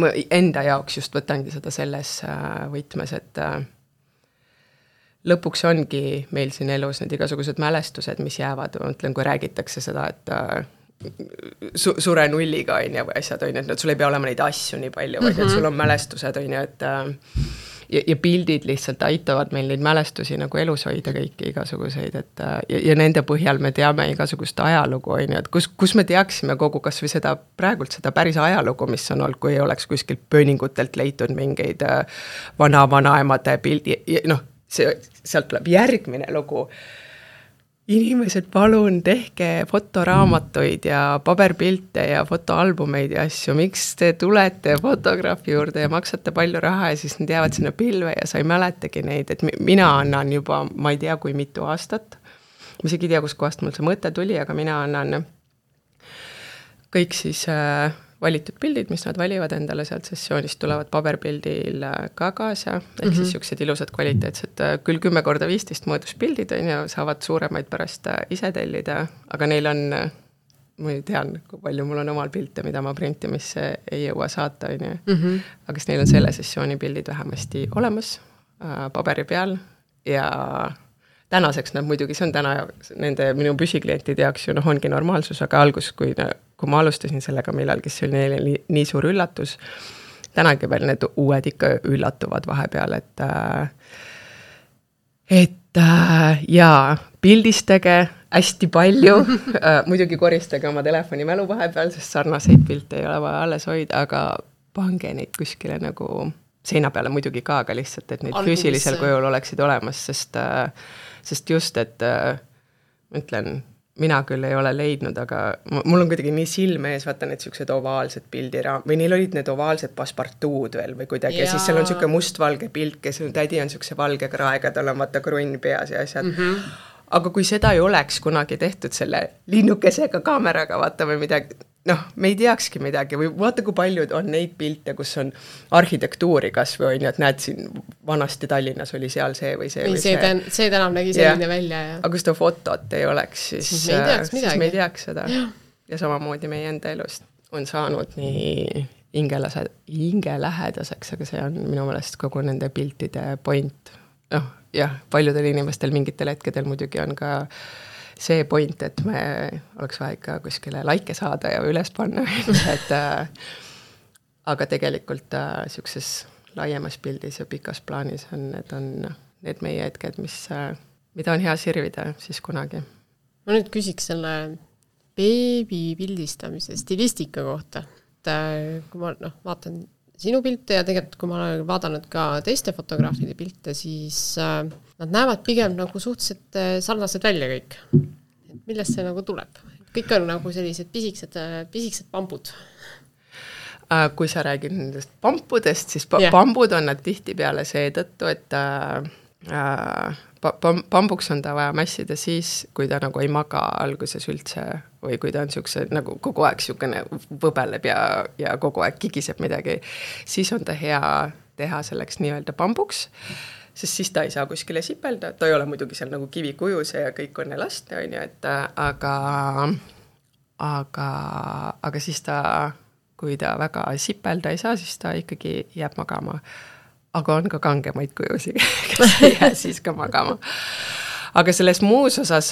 ma enda jaoks just võtangi seda selles võtmes, et lõpuks ongi meil siin elus need igasugused mälestused, mis jäävad, ma mõtlen, kui räägitakse seda, et su sure nulliga on ja või asjad on, et sul ei pea olema neid asju nii palju, vaid mm -hmm. et sul on mälestused on ja, et Ja, ja pildid lihtsalt aitavad meil neid mälestusi nagu elus hoida kõiki igasuguseid, et ja, ja nende põhjal me teame igasugust ajalugu, on ju, et kus, kus me teaksime kogu kas või seda, praegult seda päris ajalugu, mis on olnud, kui ei oleks kuskilt pööningutelt leitud mingeid vana-vanaemade pildi, noh, see, sealt tuleb järgmine lugu. Inimesed, palun tehke fotoraamatuid ja paberpilte ja fotoalbumeid ja asju. Miks te tulete fotograafi juurde ja maksate palju raha ja siis need jäävad sinna pilve ja sa ei mäletagi neid, et mina annan juba, ma ei tea, kui mitu aastat. Ma isegi ei tea, kus kohast mul see mõte tuli, aga mina annan kõik siis äh, valitud pildid, mis nad valivad endale sealt sessioonist, tulevad paberpildil ka kaasa, ehk mm -hmm. siis siuksed ilusad kvaliteetsed, küll kümme korda viisteist mõõdus pildid on ja saavad suuremaid pärast ise tellida, aga neil on, ma ei tean, kui palju mul on omal pilte, mida ma printimisse ei jõua saata, on ju. Mm -hmm. Aga siis neil on selle sessiooni pildid vähemasti olemas äh, paberi peal ja tänaseks nad muidugi, see on täna nende minu püsiklientide jaoks ju noh, ongi normaalsus, aga algus, kui, kui ma alustasin sellega millalgi, see oli neile nii, nii suur üllatus. Tänagi veel need uued ikka üllatuvad vahepeal, et et jaa, pildistage hästi palju, muidugi koristage oma telefoni mälu vahepeal, sest sarnaseid pilte ei ole vaja alles hoida, aga pange neid kuskile nagu seina peale muidugi ka, aga lihtsalt, et neid Algumis. Füüsilisel kujul oleksid olemas, sest sest just, et ma ütlen, mina küll ei ole leidnud, aga mul on kuidagi nii silme ees, vaata need siuksed ovaalsed pildiraam, või neil olid need ovaalsed paspartuud veel või kuidagi, ja, ja siis seal on siuke mustvalge pilt, kes tädi on siukse valge kraega, tal on vaata krunn peas ja asjad. Mm -hmm. Aga kui seda ei oleks kunagi tehtud selle linnukesega kaameraga, vaata või midagi, noh, me ei teakski midagi või vaata, kui paljud on neid pilte, kus on arhitektuuri kas või on ju, et näed siin vanasti Tallinnas oli seal see või see või, või see. See, see tänav nägi selline ja. välja. Ja. Aga kui seda fotot ei oleks, siis, siis, me, ei teaks siis me ei teaks seda. Ja, ja samamoodi meie enda elust on saanud nii hingelase, hingelähedaseks, aga see on minu meelest kogu nende piltide point. Noh, jah, paljudel inimestel mingitel hetkedel muidugi on ka see point, et me oleks vaja ikka kuskile laike saada ja üles panna, et äh, aga tegelikult äh, siukses laiemas pildis ja pikas plaanis on need, on need meie hetked, mis, äh, mida on hea sirvida siis kunagi. Ma nüüd küsiks selle beebi pildistamise stilistika kohta, et äh, kui ma no, vaatan sinu pilte ja tegelikult kui ma olen vaadanud ka teiste fotograafide pilte, siis äh, nad näevad pigem nagu suhteliselt sarnased välja kõik. Et millest see nagu tuleb? Kõik on nagu sellised pisiksed, pisiksed pambud. Kui sa räägid nendest pampudest, siis pa yeah. pambud on nad tihti peale seetõttu, et äh, pambuks on ta vaja mässida siis, kui ta nagu ei maga alguses üldse või kui ta on siukse nagu kogu aeg siukene võbeleb ja, ja kogu aeg kigiseb midagi, siis on ta hea teha selleks nii-öelda pambuks, sest siis ta ei saa kuskile sipelda, ta ei ole muidugi seal nagu kivikujuse ja kõik on elasti, on ju, et aga, aga, aga siis ta, kui ta väga sipelda ei saa, siis ta ikkagi jääb magama. Aga on ka kangemaid kujusi, kes ei jää siis ka magama. Aga selles muus osas,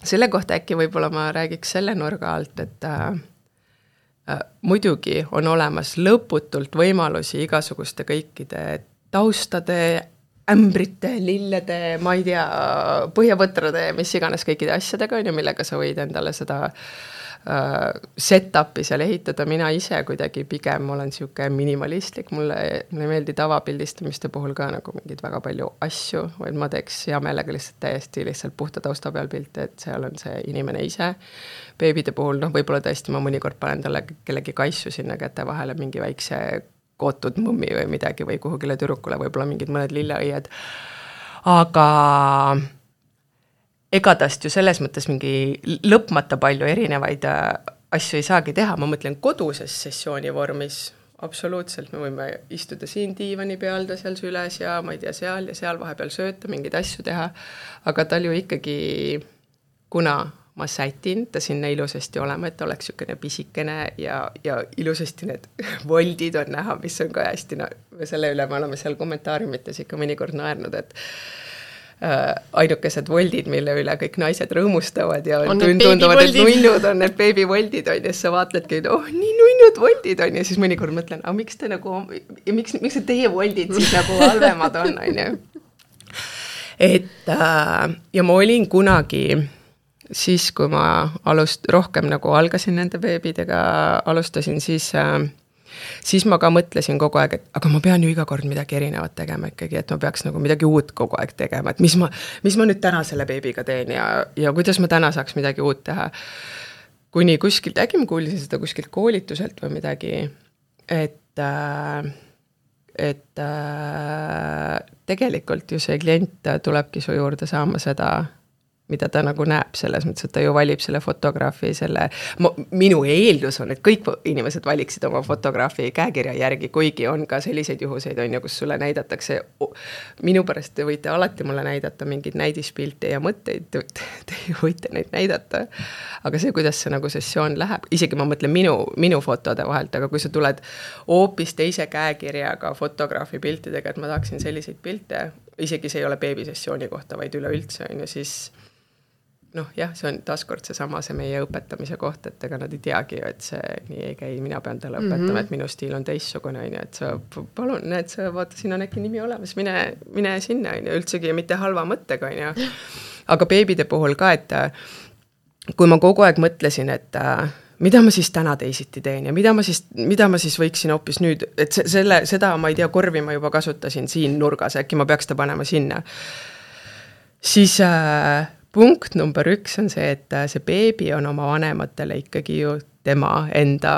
selle kohta äkki võib-olla ma räägiks selle nurga alt, et äh, muidugi on olemas lõputult võimalusi igasuguste kõikide taustade, ämbrite, lillede, ma ei tea, põhjavõtrade, mis iganes kõikide asjadega on ju, millega sa võid endale seda uh, set-upi seal ehitada. Mina ise kuidagi pigem olen siuke minimalistlik, mulle, mulle ei meeldi tavapildistamiste puhul ka nagu mingid väga palju asju, vaid ma teeks hea meelega lihtsalt täiesti lihtsalt puhta tausta peal pilte, et seal on see inimene ise. Beebide puhul, noh, võib-olla tõesti ma mõnikord panen talle kellegi kaissu sinna käte vahele mingi väikse kootud mõmmi või midagi või kuhugile tüdrukule, võib-olla mingid mõned lilleõied. Aga ega tast ju selles mõttes mingi lõpmata palju erinevaid asju ei saagi teha. Ma mõtlen koduses sessiooni vormis, absoluutselt me võime istuda siin diivani peal, ta seal süles ja ma ei tea seal ja seal vahepeal sööta, mingeid asju teha. Aga tal ju ikkagi, kuna ma sätin ta sinna ilusasti olema, et ta oleks sükene pisikene ja, ja ilusasti need voldid on näha, mis on ka hästi, no, selle üle me oleme seal kommentaariumites ikka mõnikord naernud, et äh, ainukesed voldid, mille üle kõik naised rõõmustavad ja on tunduvad, et nunnud on need beebivoldid on ja siis sa vaatledki, et oh, nii nunnud voldid on ja siis mõnikord mõtlen, aga miks te nagu, miks, miks teie voldid siis nagu halvemad on, on ju. Et äh, ja ma olin kunagi siis, kui ma alust, rohkem nagu algasin nende beebidega, alustasin, siis, äh, siis ma ka mõtlesin kogu aeg, et aga ma pean ju iga kord midagi erinevat tegema ikkagi, et ma peaks nagu midagi uut kogu aeg tegema, et mis ma, mis ma nüüd täna selle beebiga teen ja, ja kuidas ma täna saaks midagi uut teha. Kuni kuskilt, äkki ma kuulisin seda kuskilt koolituselt või midagi, et, äh, et äh, tegelikult ju see klient tulebki su juurde saama seda, mida ta nagu näeb selles mõttes, et ta ju valib selle fotograafi, selle, ma, minu eeldus on, et kõik inimesed valiksid oma fotograafi käekirja järgi, kuigi on ka selliseid juhuseid, on ju, kus sulle näidatakse, minu pärast te võite alati mulle näidata mingeid näidispilte ja mõtteid, te võite neid näidata, aga see, kuidas see nagu sessioon läheb, isegi ma mõtlen minu, minu fotode vahelt, aga kui sa tuled hoopis teise käekirjaga fotograafi piltidega, et ma tahaksin selliseid pilte, isegi see ei ole beebisessiooni kohta, vaid üleüldse, on ju, siis noh, jah, see on taaskord see sama, see meie õpetamise koht, et ega nad ei teagi, et see nii ei käi, mina pean talle õpetama, mm -hmm. et minu stiil on teissugune, on ju, et sa palun, näed, sa vaata, siin on äkki nimi olemas, mine, mine sinna, on ju, üldsegi mitte halva mõttega, on ju. Aga beebide puhul ka, et kui ma kogu aeg mõtlesin, et mida ma siis täna teisiti teen ja mida ma siis, mida ma siis võiksin hoopis nüüd, et selle, seda, ma ei tea, korvi ma juba kasutasin siin nurgas, äkki ma peaks ta panema sinna. Siis äh, punkt number üks on see, et see beebi on oma vanematele ikkagi ju tema enda,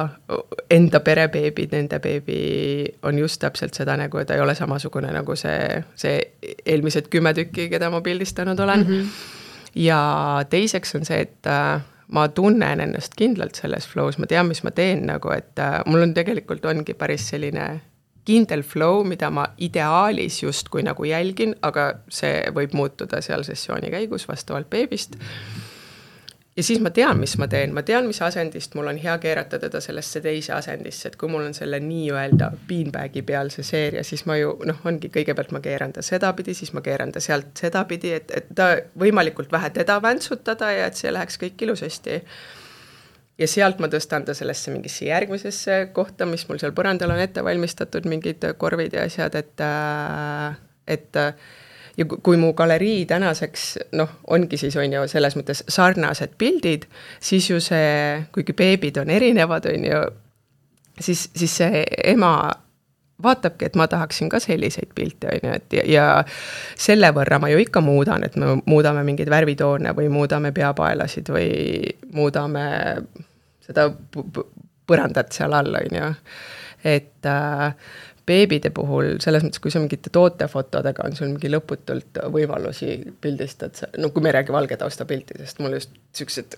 enda perebeebid, nende beebi on just täpselt seda nägu, et ta ei ole samasugune nagu see, see eelmised kümme tükki, keda ma pildistanud olen. Mm -hmm. Ja teiseks on see, et ma tunnen ennast kindlalt selles flows, ma tean, mis ma teen nagu, et mul on tegelikult ongi päris selline kindel flow, mida ma ideaalis just kui nagu jälgin, aga see võib muutuda seal sessiooni käigus vastavalt beebist. Ja siis ma tean, mis ma teen, ma tean, mis asendist mul on hea keerata teda sellesse teise asendisse, et kui mul on selle nii-öelda beanbagi peal see seeria, siis ma ju, noh, ongi kõigepealt ma keeran ta sedapidi, siis ma keeran ta sealt sedapidi, et, et ta võimalikult vähe teda väntsutada ja et see läheks kõik ilusasti. Ja sealt ma tõstan ta sellesse mingisse järgmisesse kohta, mis mul seal põrandal on ette valmistatud, mingid korvid ja asjad, et, et ja kui mu galerii tänaseks, noh, ongi siis on ju selles mõttes sarnased pildid, siis ju see, kuigi beebid on erinevad, on ju, siis, siis see ema vaatabki, et ma tahaksin ka selliseid pilte, on ju, et ja, ja selle võrra ma ju ikka muudan, et me muudame mingeid värvitoone või muudame peapaelasid või muudame seda põrandat seal all, on ju, et äh, beebide puhul, selles mõttes, kui sa mingite tootefotodega on sul mingi lõputult võimalusi pildistad, no kui me ei räägi valge tausta piltidest, mul just sellised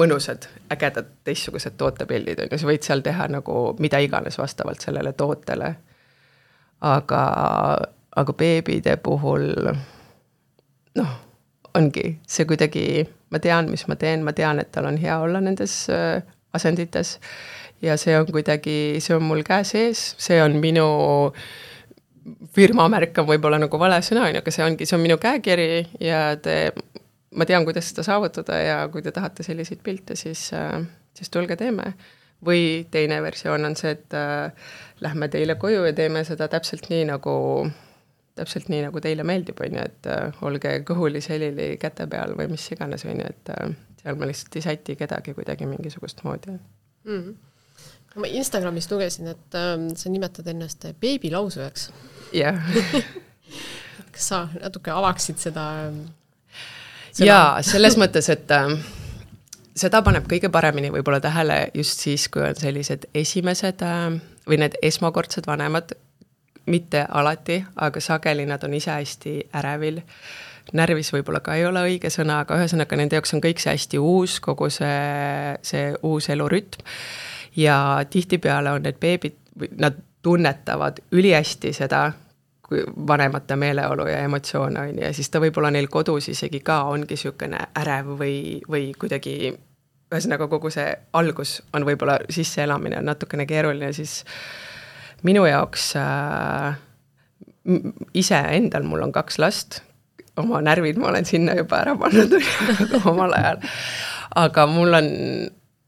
mõnusad, ägedad teistsugused tootepildid on ja sa võid seal teha nagu mida iganes vastavalt sellele tootele. aga, aga beebide puhul noh, ongi see kuidagi, ma tean, mis ma teen, ma tean, et tal on hea olla nendes asendites ja see on kuidagi, see on mul käe sees, see on minu firma märk on võib-olla nagu vale sõna, aga see ongi, see on minu käekiri ja te, ma tean, kuidas seda saavutada ja kui te tahate selliseid pilte, siis, siis tulge teeme. Või teine versioon on see, et äh, lähme teile koju ja teeme seda täpselt nii, nagu täpselt nii, nagu teile meeldib, on ju, et äh, olge kõhuli, selili käte peal või mis iganes, on ju, et äh, seal ma lihtsalt ei säti kedagi kuidagi mingisugust moodi. Mm-hmm. Ma Instagramist lugesin, et äh, sa nimetad ennast beebilausujaks. Jah. Kas sa natuke avaksid seda? seda? Jaa, selles mõttes, et äh, seda paneb kõige paremini võib-olla tähele just siis, kui on sellised esimesed äh, või need esmakordsed vanemad, mitte alati, aga sageli nad on ise hästi ärevil. Närvis võib-olla ka ei ole õige sõna, aga ühesõnaga nende jaoks on kõik see hästi uus, kogu see, see uus elurütm. Ja tihtipeale on need beebid, nad tunnetavad ülihästi seda vanemate meeleolu ja emotsioone, ja siis ta võib-olla neil kodus isegi ka ongi niisugune ärev või, või kuidagi, ühesõnaga kogu see algus on võib-olla sisseelamine on natukene keeruline, siis minu jaoks äh, ise endal, mul on kaks last, oma närvid ma olen sinna juba ära pannud omal ajal, aga mul on,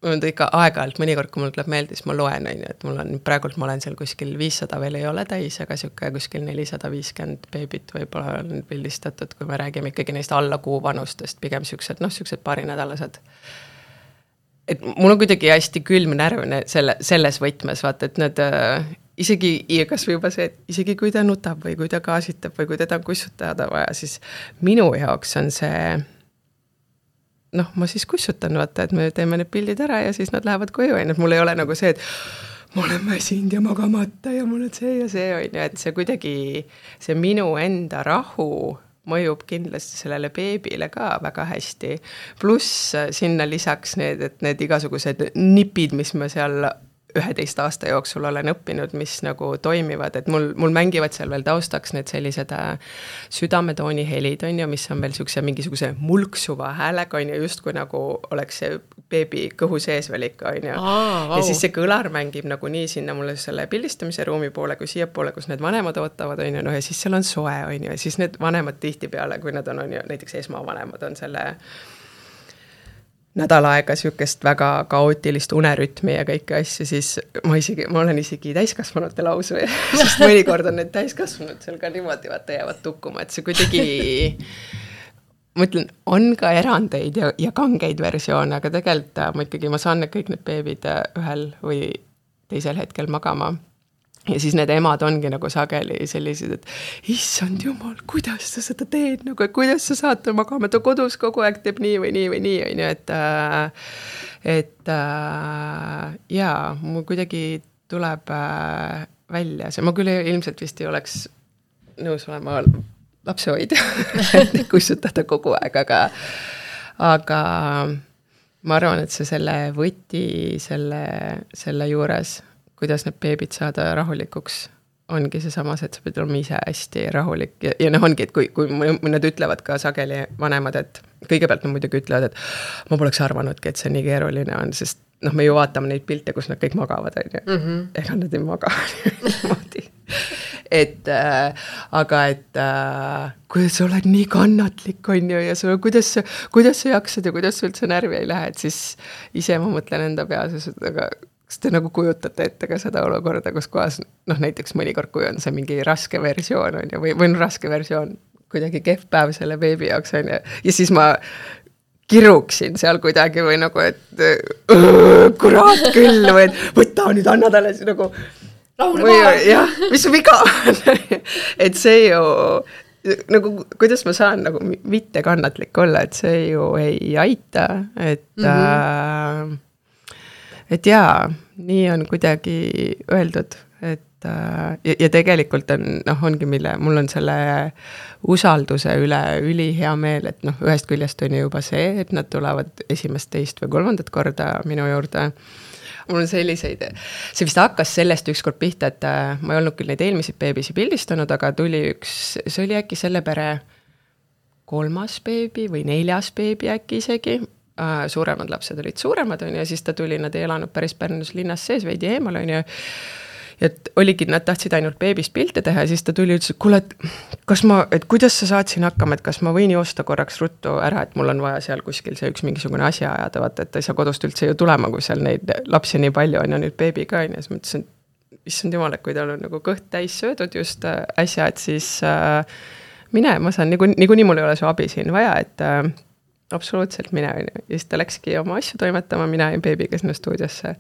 mul on ikka aeg-ajalt, mõnikord, kui mul tuleb meelde, siis ma loen, et mul on, praegult ma olen seal kuskil viissada veel ei ole täis, aga siuke kuskil nelisada viiskümmend beebit võib-olla on pildistatud, kui me räägime ikkagi neist alla kuu vanustest, pigem siuksed, noh, siuksed paarinädalased. Et mul on kuidagi hästi külm närvine selle, selles võtmes, vaata, et need äh, isegi, kas või juba see, et isegi kui ta nutab või kui ta gaasitab või kui teda on kussutada vaja, siis minu jaoks on see, noh, ma siis kussutan, vaata, et me teeme need pildid ära ja siis nad lähevad koju, et mul ei ole nagu see, et ma olen väsinud ja magamata ja mul on see ja see, on ju, et see kuidagi, see minu enda rahu mõjub kindlasti sellele beebile ka väga hästi. Pluss sinna lisaks need, et need igasugused nipid, mis me seal üheteist aasta jooksul olen õppinud, mis nagu toimivad, et mul, mul mängivad seal veel taustaks need sellised südametooni helid, on ju, mis on veel siukse mingisuguse mulksuva häälega, on ju, just kui nagu oleks see beebi kõhu sees veel ikka, on ju. Aa, wow. Ja siis see kõlar mängib nagu nii sinna mulle selle pildistamise ruumi poole, kui siia poole, kus need vanemad ootavad, on ju, no ja siis seal on soe, on ju, ja siis need vanemad tihtipeale, kui nad on, on ju, näiteks esmavanemad on selle nädal aega siukest väga kaootilist unerütmi ja kõiki asju, siis ma isegi, ma olen isegi täiskasvanute lausu, sest mõnikord on need täiskasvanud seal ka niimoodi, vaata jäävad tukkuma, et see kuidagi, ma ütlen, on ka erandeid ja, ja kangeid versioone, aga tegelikult ma ikkagi, ma saan need kõik need beebid ühel või teisel hetkel magama. Ja siis need emad ongi nagu sageli sellised, et issand jumal, kuidas sa seda teed, nagu, kuidas sa saad magama, ta kodus kogu aeg teeb nii või nii või nii, on ju, et, et jaa, mul kuidagi tuleb välja see, ma küll ilmselt vist ei oleks nõus olema lapsehoidja, et kussutada kogu aeg, aga, aga ma arvan, et see selle võti selle, selle juures, kuidas need beebid saada rahulikuks, ongi see samas, et sa pead olema ise hästi rahulik. Ja, ja noh ongi, et kui, kui nad ütlevad ka sageli vanemad, et kõigepealt nad muidugi ütlevad, et ma poleks arvanudki, et see nii keeruline on, sest noh, me ju vaatame neid pilte, kus nad kõik magavad, on ju. Mm-hmm. Ega nad ei maga niimoodi. Et, äh, aga et äh, kuidas sa oled nii kannatlik, on ju, ja sa, kuidas, kuidas sa jaksad ja kuidas sa üldse närvi ei lähe, et siis ise ma mõtlen enda peas, aga kas te nagu kujutate ette ka seda olukorda, kus kohas, noh näiteks mõnikord, kui on see mingi raske versioon, on ju, või, või on raske versioon, kuidagi kehv päev selle beebi jaoks, on ju, ja siis ma kiruksin seal kuidagi või nagu, et öö, kurat küll, või et võta nüüd, anna talle nagu või, jah, mis viga et see ju nagu, kuidas ma saan nagu mitte kannatlik olla, et see ju ei aita, et mm-hmm. äh, et jaa, nii on kuidagi öeldud, et ja, ja tegelikult on, noh, ongi mille, mul on selle usalduse üle üli hea meel, et noh, ühest küljest on juba see, et nad tulevad esimest, teist või kolmandat korda minu juurde, mul on selliseid, see vist hakkas sellest ükskord pihta, et ma ei olnud küll neid eelmisi beebisi pildistanud, aga tuli üks, see oli äkki selle pere kolmas beebi või neljas beebi äkki isegi, suuremad lapsed olid suuremad, on ju, ja siis ta tuli, nad ei elanud päris Pärnus linnas sees, veidi eemal, on ju, ja et oligi, nad tahtsid ainult beebist pilte teha ja siis ta tuli ja ütles, et kuule, et kas ma, et kuidas sa saad siin hakkama, et kas ma võin joosta korraks ruttu ära, et mul on vaja seal kuskil see üks mingisugune asja ajada, vaata, et ta ei saa kodust üldse ju tulema, kui seal neid lapsi nii palju on ja nüüd beebi ka, on ja siis mõtlesin, issand jumal, et kui tal on nagu kõht täis söödud just äsja, et siis äh, mine, ma saan, niikuinii nagu, nagu mul ei ole su abi siin vaja, et äh, absoluutselt mine, ja siis ta läkski oma asju toimetama, mina ja beebiga sinna stuudiosse.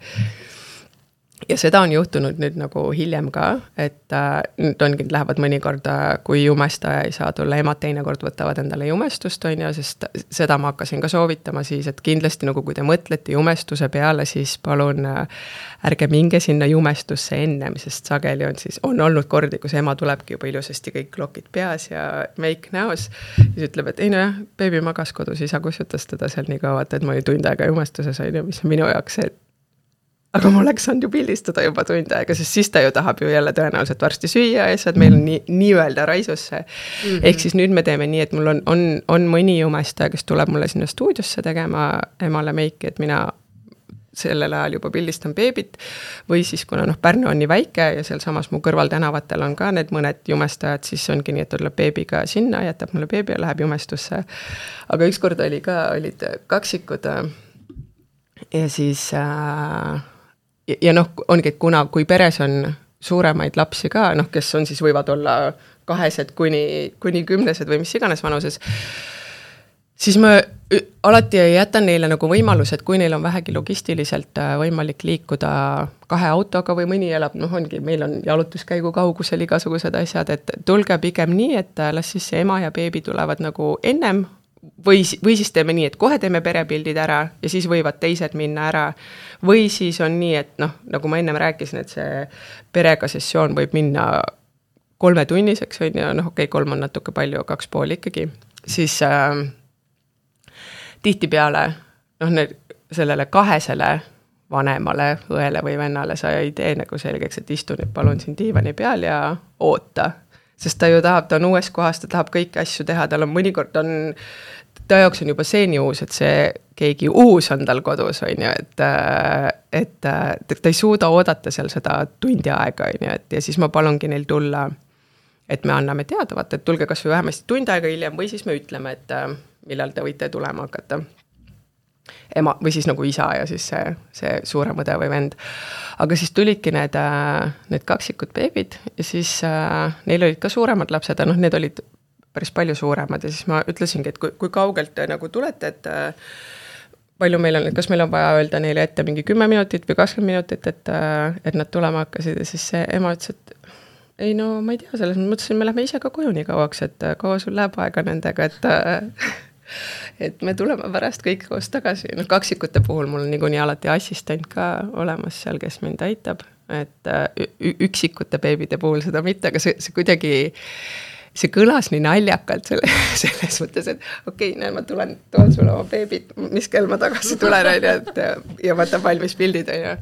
Ja seda on juhtunud nüüd nagu hiljem ka, et äh, nüüd ongi, lähevad mõnikord, kui jumestaja ei saa tulla, emad teinekord võtavad endale jumestust, on ju, sest seda ma hakkasin ka soovitama siis, et kindlasti nagu kui te mõtlete jumestuse peale, siis palun äh, ärge minge sinna jumestusse ennem, sest sageli on siis, on olnud kordi, kus ema tulebki juba ilusasti kõik klokid peas ja make näos, ja siis ütleb, et ei no jah, beebi magas kodus, isa kusjutas teda seal nii kaua, et ma olin tund aega jumestuses, on ju, mis on minu jaoks see, aga ma oleks saanud ju pildistada juba tund aega, sest siis ta ju tahab ju jälle tõenäoliselt varsti süüa ja asjad meil on nii, nii-öelda raisusse. Mm-hmm. Ehk siis nüüd me teeme nii, et mul on, on, on mõni jumestaja, kes tuleb mulle sinna stuudiosse tegema emale meiki, et mina sellel ajal juba pildistan beebit, või siis kuna noh, Pärnu on nii väike ja seal samas mu kõrval tänavatel on ka need mõned jumestajad, siis ongi nii, et tuleb beebiga sinna, jätab mulle beebi ja läheb jumestusse. Aga ükskord oli ka, olid kaksikud ja siis äh, ja, ja noh, ongi, et kuna, kui peres on suuremaid lapsi ka, noh, kes on siis võivad olla kahesed kuni, kuni kümnesed või mis iganes vanuses, siis ma alati jätan neile nagu võimalus, et kui neil on vähegi logistiliselt võimalik liikuda kahe autoga või mõni elab, noh ongi, meil on jalutuskäigu kaugusel igasugused asjad, et tulge pigem nii, et las siis see ema ja beebi tulevad nagu ennem, Või, või siis teeme nii, et kohe teeme perepildid ära ja siis võivad teised minna ära. Või siis on nii, et noh, nagu ma ennem rääkisin, et see perega sessioon võib minna kolmetunniseks, on ja noh, okei, okay, kolm on natuke palju, kaks pool ikkagi. Siis äh, tihtipeale noh, need, sellele kahesele vanemale, õele või vennale sa ei tee nagu selgeks, et istu nüüd palun siin diivani peal ja oota. Sest ta ju tahab, ta on uues kohas, ta tahab kõiki asju teha, tal on mõnikord on, ta jaoks on juba see nii uus, et see keegi uus on tal kodus, on ju, et, et ta ei suuda oodata seal seda tundi aega, on ju, et ja siis ma palungi neil tulla, et me anname teada, vaata, et tulge kas või vähemasti tund aega hiljem või siis me ütleme, et millal te võite tulema hakata. Ema, või siis nagu isa ja siis see, see suurem õde või vend. Aga siis tulidki need, need kaksikud beebid ja siis äh, neil olid ka suuremad lapsed, noh, need olid päris palju suuremad ja siis ma ütlesingi, et kui, kui kaugelt te nagu tulete, et äh, palju meil on, kas meil on vaja öelda neile ette mingi kümme minutit või kakskümmend minutit, et, äh, et nad tulema hakkasid ja siis see ema ütles, et ei no ma ei tea, selles mõtlesin, me lähme ise ka koju nii kauaks, et kaua sul läheb aega nendega, et äh, et me tuleme pärast kõik koos tagasi. No, kaksikute puhul mul on niikuinii alati assistent ka olemas seal, kes mind aitab, et üksikute beebide puhul seda mitte, aga see, see kuidagi, see kõlas nii naljakalt selle, selles mõttes, et okei, okay, näe, ma tulen, toon sulle oma beebit, mis kell ma tagasi tulen, et, ja võtan valmis pildid, ja.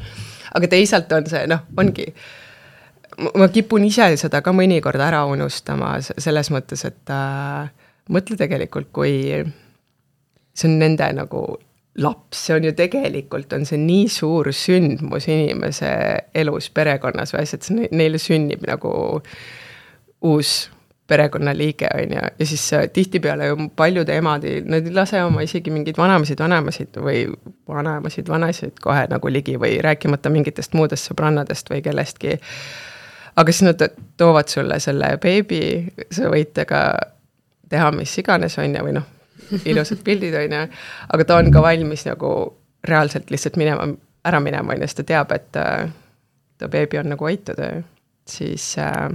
Aga teisalt on see, noh, ongi, ma kipun ise seda ka mõnikord ära unustama selles mõttes, et äh, mõtle tegelikult, kui see on nende nagu laps, see on ju tegelikult, on see nii suur sündmus inimese elus, perekonnas või asjad, neile sünnib nagu uus perekonnaliige, on ja, ja siis tihtipeale ju paljude emadi, nad ei lase oma isegi mingid vanemasid, vanemasid või vanemasid, vanasid kohe nagu ligi või rääkimata mingitest muudest sõbrannadest või kellestki. Aga siis nad toovad sulle selle beebi, sa võite ka teha mis iganes on ja või noh, ilusad pildid on ja, aga ta on ka valmis nagu reaalselt lihtsalt minema, ära minema on ja siis ta teab, et äh, ta beebi on nagu aitud, siis äh,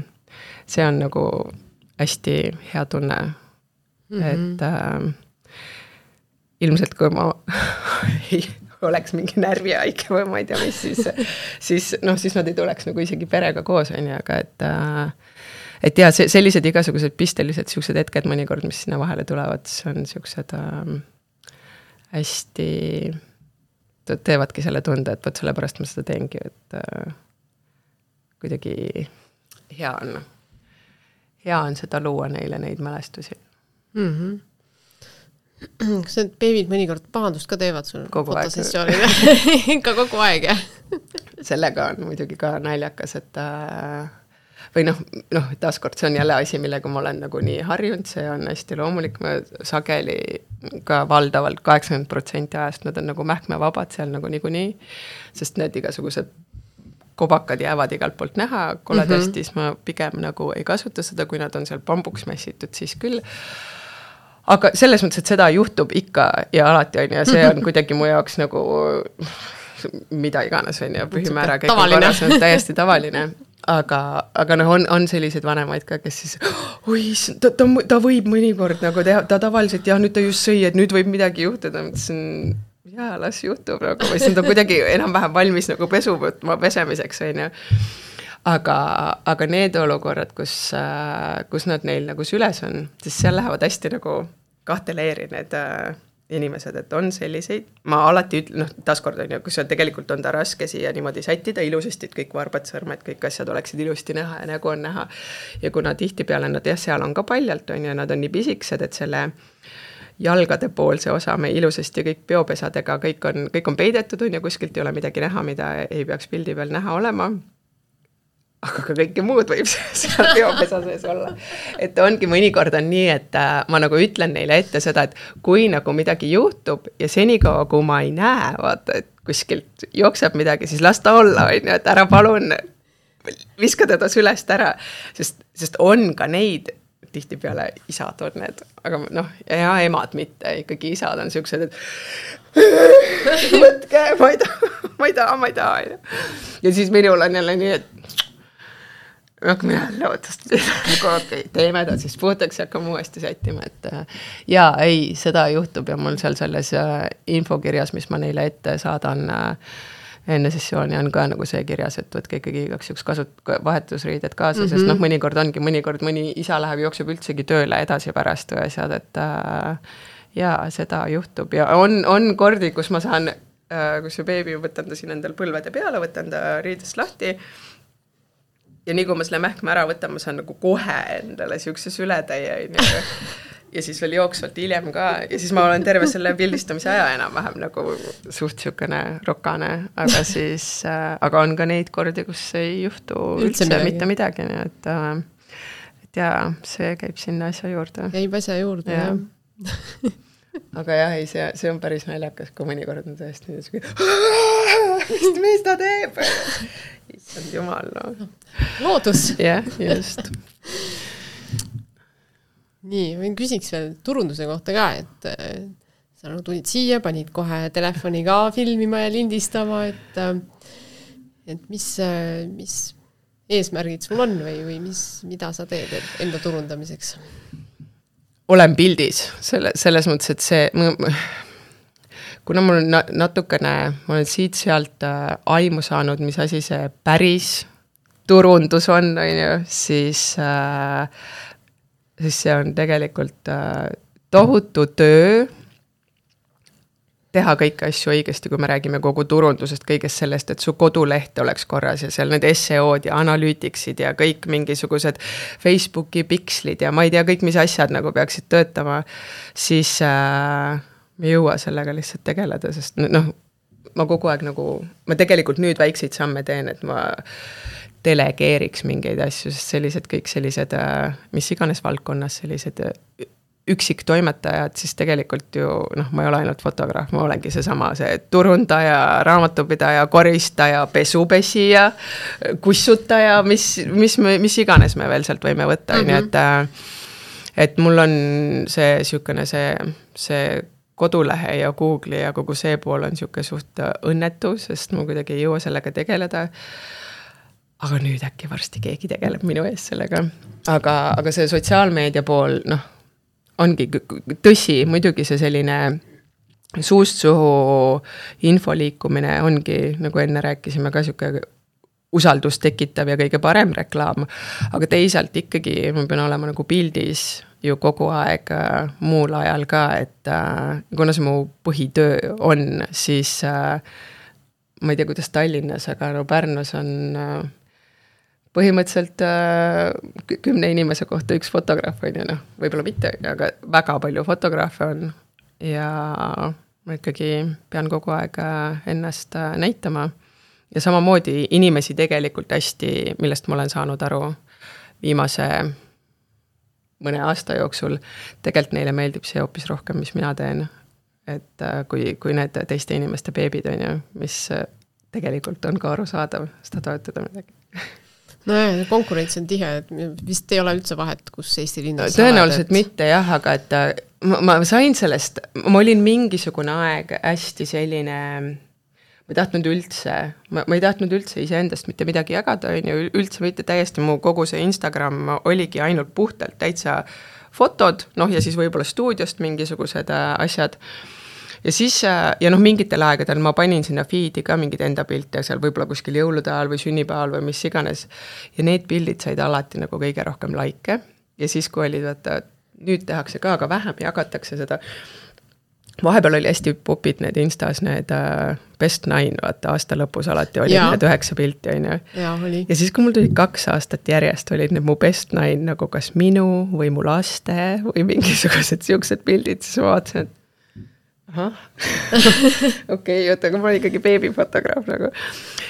see on nagu hästi hea tunne, mm-hmm. et äh, ilmselt kui ma ei oleks mingi närvihaige või ma ei tea mis, siis, siis, noh, siis nad ei tuleks nagu isegi perega koos on ja, aga et äh, et ja see, sellised igasugused pistelised siuksed hetked mõnikord, mis sinna vahele tulevad, see on siuksed äh, hästi teevadki selle tunde, et võt sellepärast ma seda teengi, et äh, kuidagi hea on, hea on seda luua neile neid mälestusi. Mm-hmm. Kas need beebid mõnikord pahandust ka teevad sul kogu fotosessioonile? Ikka kogu aeg, jah? Sellega on muidugi ka naljakas, et äh, või noh, noh, taaskord see on jälle asi, millega ma olen nagu nii harjunud, see on hästi loomulik, ma sageli ka valdavalt kaheksakümmend protsenti ajast nad on nagu mähkmevabad seal nagu niikuinii, sest need igasugused kobakad jäävad igalt poolt näha, koledastis mm -hmm. ma pigem nagu ei kasuta seda, kui nad on seal pambuks mässitud, siis küll. Aga selles mõttes, et seda juhtub ikka ja alati on ja see on kuidagi mu jaoks nagu mida iganes on ja pühimäära kõik on korras, on täiesti tavaline. Aga, aga noh, on, on selliseid vanemaid ka, kes siis oi, ta, ta, ta võib mõnikord nagu teha, ta tavaliselt jah, nüüd ta just sõi, et nüüd võib midagi juhtuda, mõtlesin, jaa, las juhtub nagu, või see on kuidagi enam-vähem valmis nagu pesu võtma pesemiseks, on ju. Aga, aga need olukorrad, kus, kus nad neil nagu süles on, siis seal lähevad hästi nagu kahte leeri need inimesed, et on selliseid, ma alati ütlen, noh, taaskord on ju, kus tegelikult on ta raske siia niimoodi sättida ilusasti, et kõik varbad, sõrmed, kõik asjad oleksid ilusti näha ja nägu on näha. Ja kuna tihti peale nad, jah, seal on ka paljalt, on ju, nad on nii pisiksed, et selle jalgade poolse osa me ilusasti kõik peopesadega, kõik on, kõik on peidetud, on ju, kuskilt ei ole midagi näha, mida ei peaks pildi peal näha olema. Aga ka kõike muud võib seal peopesa sees olla. Et ongi mõnikord on nii, et ma nagu ütlen neile ette seda, et kui nagu midagi juhtub ja senikaua, kui ma ei näe, vaata, et kuskilt jookseb midagi, siis las ta olla, on ju, et ära palun viska teda sülest ära, sest, sest on ka neid, tihti peale isad on need, aga noh, ja emad mitte, ikkagi isad on siuksed, et võtke, ma ei taha, ma ei taha, ma ei taha. Ja siis minul on jälle nii, et hakkame jälle ootast, okay, teeme ta siis puhtaks ja hakkame uuesti sättima, et jaa, ei, seda juhtub ja mul seal selles infokirjas, mis ma neile ette saadan enne sessiooni on ka nagu see kirjas, et võtke ikkagi igaks juks kasut-, vahetusriided kaasa, mm -hmm. sest noh, mõnikord ongi, mõnikord mõni isa läheb, jookseb üldsegi tööle edasi pärast või asjad, et äh, jaa, seda juhtub ja on, on kordi, kus ma saan, äh, kus see beebi võtan ta siin endal põlvede peale, võtan ta riidest lahti ja nii kui ma selle mähkme ära võtan, ma saan nagu kohe endale siukse sületäie ja siis veel jooksvalt hiljem ka ja siis ma olen terve selle pildistamise aja enam-vähem nagu suht siukene rokane, aga siis äh, aga on ka neid kordi, kus ei juhtu üldse, üldse midagi. mitte midagi, nii et, äh, et jaa, see käib sinna asja juurde. Käib asja juurde, ja. jah. Aga jah, ei, see, see on päris naljakas, kui mõnikord on tõesti nii, mis, mis ta teeb? Issand jumal, no. Loodus. Jah, just. Nii, ma küsiks veel turunduse kohta ka, et sa nagu tulid siia, panid kohe telefoni ka filmima ja lindistama, et, et mis, mis eesmärgid sul on või, või mis, mida sa teed enda turundamiseks? Olen pildis, selle, selles mõttes, et see, kuna mul on natukene, ma olen siit-sealt aimu saanud, mis asi see päris turundus on, on ju, siis, äh, siis see on tegelikult äh, tohutu töö teha kõiki asju õigesti, kui me räägime kogu turundusest, kõigest sellest, et su koduleht oleks korras ja seal need S E O-d ja analüütiksid ja kõik mingisugused Facebooki pikslid ja ma ei tea, kõik mis asjad nagu peaksid töötama, siis äh, me ei jõua sellega lihtsalt tegeleda, sest noh, ma kogu aeg nagu, ma tegelikult nüüd väikseid samme teen, et ma delegeeriks mingeid asju, sest sellised kõik sellised, mis iganes valdkonnas sellised üksik toimetajad, siis tegelikult ju, noh, ma ei ole ainult fotograaf, ma olengi see sama, see turundaja, raamatupidaja, koristaja, pesupesija, kussutaja, mis, mis, mis iganes me veel sealt võime võtta, mm-hmm. nii et, et mul on see siukene see, see kodulehe ja Google'i ja kogu see pool on siuke suht õnnetu, sest ma kuidagi ei jõua sellega tegeleda. Aga nüüd äkki varsti keegi tegeleb minu ees sellega. Aga, aga see sotsiaalmeedia pool, noh, ongi tõsi, muidugi see selline suust suhu info liikumine ongi, nagu enne rääkisime, ka siuke usaldust tekitav ja kõige parem reklaam, aga teisalt ikkagi ma pean olema nagu pildis ju kogu aeg äh, muul ajal ka, et äh, kuna see mu põhitöö on, siis äh, ma ei tea, kuidas Tallinnas, aga no Pärnus on äh, põhimõtteliselt äh, kümne inimese kohta üks fotograaf on ju, noh, võib-olla mitte, aga väga palju fotograafe on ja ma ikkagi pean kogu aeg ennast äh, näitama. Ja samamoodi inimesi tegelikult hästi, millest ma olen saanud aru viimase mõne aasta jooksul, tegelikult neile meeldib see hoopis rohkem, mis mina teen. Et kui, kui need teiste inimeste beebid on ju, mis tegelikult on ka arusaadav, seda toetada midagi. No jah, konkurents on tihe, et vist ei ole üldse vahet, kus Eesti linnas tõenäoliselt et... mitte jah, aga et ma, ma sain sellest, ma olin mingisugune aeg hästi selline... ma ei tahtnud üldse, ma, ma ei tahtnud üldse iseendast mitte midagi jagada, on ju, üldse mitte täiesti, mu kogu see Instagram oligi ainult puhtalt täitsa fotod, noh ja siis võib-olla stuudiost mingisugused asjad. Ja siis, ja noh, mingitel aegadel ma panin sinna feedi ka mingid enda pilte, seal võib-olla kuskil jõulude ajal või sünnipäeval või mis iganes. Ja need pildid said alati nagu kõige rohkem laike. Ja siis, kui olid, vaata, nüüd tehakse ka, aga vähem jagatakse seda. Vahepeal oli hästi popid need Instas, need uh, best nine, vaata aasta lõpus alati oli ja. Need üheksa pilti, on ju. Ja, oli. Ja siis, kui mul tuli kaks aastat järjest, olid need mu best nine nagu kas minu või mu laste või mingisugused siuksed pildid, siis ma vaatasin, et ahah, okei, oota, aga ma olen ikkagi beebifotograaf nagu.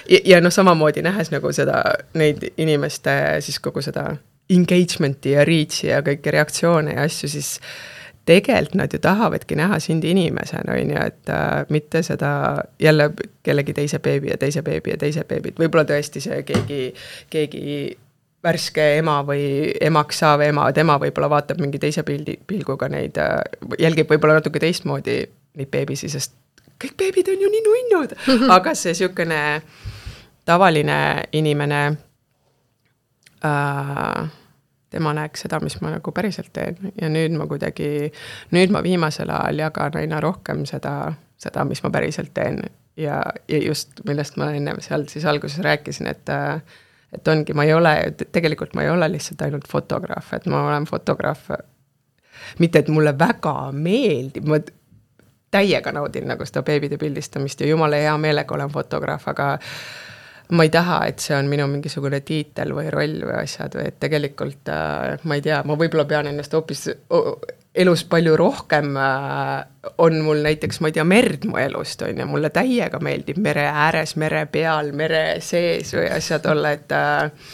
Ja, ja noh, samamoodi nähes nagu seda, neid inimeste siis kogu seda engagementi ja reach'i ja kõiki reaktsioone ja asju, siis tegelikult nad ju tahavadki näha sind inimesena, on ju, et äh, mitte seda jälle kellegi teise beebi ja teise beebi ja teise beebid. Võib-olla tõesti see keegi, keegi värske ema või emaks saav ema, tema võib-olla vaatab mingi teise pildi, pilguga neid, äh, jälgib võib-olla natuke teistmoodi neid beebisi, sest kõik beebid on ju nii nunnud. Aga see siukene tavaline inimene äh, tema näeks seda, mis ma nagu päriselt teen ja nüüd ma kuidagi, nüüd ma viimasel ajal jagan aina rohkem seda, seda, mis ma päriselt teen ja, ja just millest ma enne seal siis alguses rääkisin, et, et ongi, ma ei ole, tegelikult ma ei ole lihtsalt ainult fotograaf, et ma olen fotograaf, mitte et mulle väga meeldib, ma täiega naudin nagu seda beebide pildistamist ja jumala hea meelega olen fotograaf, aga ma ei taha, et see on minu mingisugune tiitel või roll või asjad või et tegelikult äh, ma ei tea, ma võib-olla pean ennast hoopis elus palju rohkem äh, on mul näiteks, ma ei tea, merd mu elust on ja mulle täiega meeldib mere ääres, mere peal, mere sees või asjad olla, et äh,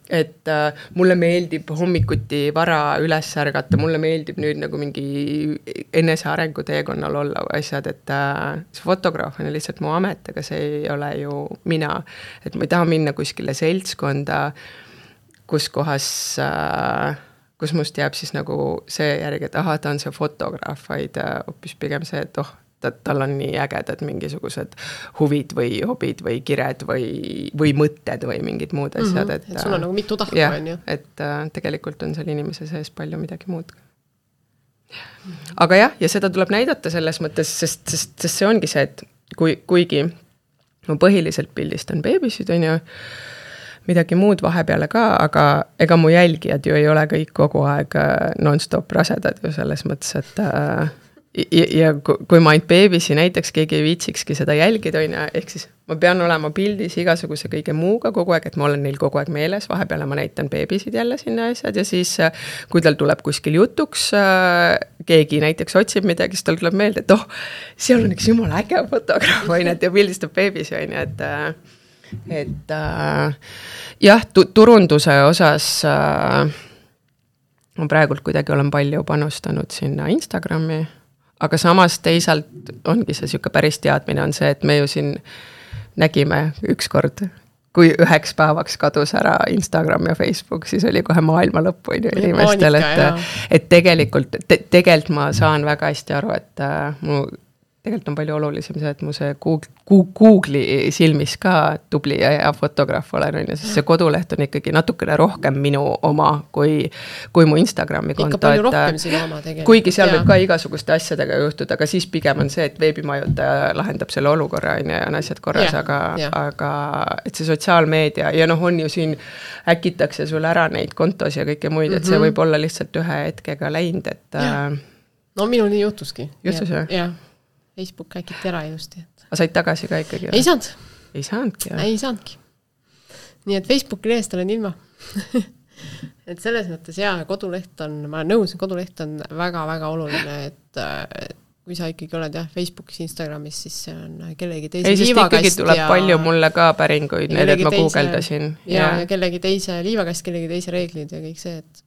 et äh, mulle meeldib hommikuti vara üles ärgata, mulle meeldib nüüd nagu mingi enese arengu teekonnal olla asjad, et äh, see fotograaf on lihtsalt mu amet, aga see ei ole ju mina, et ma ei taha minna kuskile seltskonda, kus kohas äh, kus must jääb siis nagu see järgi, et aha, ta on see fotograaf, vaid äh, hoopis pigem see, et oh, tal on nii ägedad mingisugused huvid või hobid või kired või, või mõtted või mingid muud asjad. Mm-hmm. Et, et sul on nagu mitu tahku, on ju. Et äh, tegelikult on seal inimese sees palju midagi muud. Aga jah, ja seda tuleb näidata selles mõttes, sest, sest, sest see ongi see, et kui, kuigi ma põhiliselt pildistan beebisid, on ju, midagi muud vahepeale ka, aga ega mu jälgijad ju ei ole kõik kogu aeg non-stop rasedad ju selles mõttes, et äh, Ja, ja kui ma ainult beebisi näiteks keegi ei viitsikski seda jälgida, on, ehk siis ma pean olema pildis igasuguse kõige muuga kogu aeg, et ma olen neil kogu aeg meeles, vahepeale ma näitan beebisid jälle sinna asjad ja siis kui tal tuleb kuskil jutuks, keegi näiteks otsib midagi, siis tal tuleb meelde, et oh, seal on üks jumala äge fotograaf, on, et ja pildistab beebisi, on, et et jah, turunduse osas ma praegult kuidagi olen palju panustanud sinna Instagrami, aga samas teisalt ongi see siuke päris teadmine on see, et me ju siin nägime ükskord, kui üheks päevaks kadus ära Instagram ja Facebook, siis oli kohe maailma lõppu inimestel, et, et tegelikult, te, tegelikult ma saan väga hästi aru, et uh, mu tegelikult on palju olulisem see, et mu see Google'i silmis ka tubli ja hea fotograaf olen, on ja siis see koduleht on ikkagi natukene rohkem minu oma kui, kui mu Instagrami konto. Ikka palju rohkem sinu oma tegelikult. Kuigi seal ja. võib ka igasuguste asjadega juhtuda, aga siis pigem on see, et veebimajutaja lahendab selle olukorra ja on asjad korras, ja. Aga, aga et see sotsiaalmeedia ja noh, on ju siin äkitakse sul ära neid kontos ja kõike muid, et mm-hmm. see võib olla lihtsalt ühe hetkega läinud, et ja. No minul nii juhtuski. Juhtus jah? Jah. Facebook äkiti ära ilusti. Et... A said tagasi ka ikkagi? Ei saanud. Ei saanudki, jah? Ei saanudki. Nii et Facebooki lehest olen ilma. et selles mõttes jaa, koduleht on, ma olen nõus, koduleht on väga-väga oluline, et, et kui sa ikkagi oled jah, Facebookis, Instagramis, siis see on kellegi teise ei, liivakast. Ei, sest ikkagi tuleb ja... palju mulle ka päringuid, need, et ma teise... guugeldasin. Ja, ja. ja kellegi teise liivakast, kellegi teise reeglid ja kõik see, et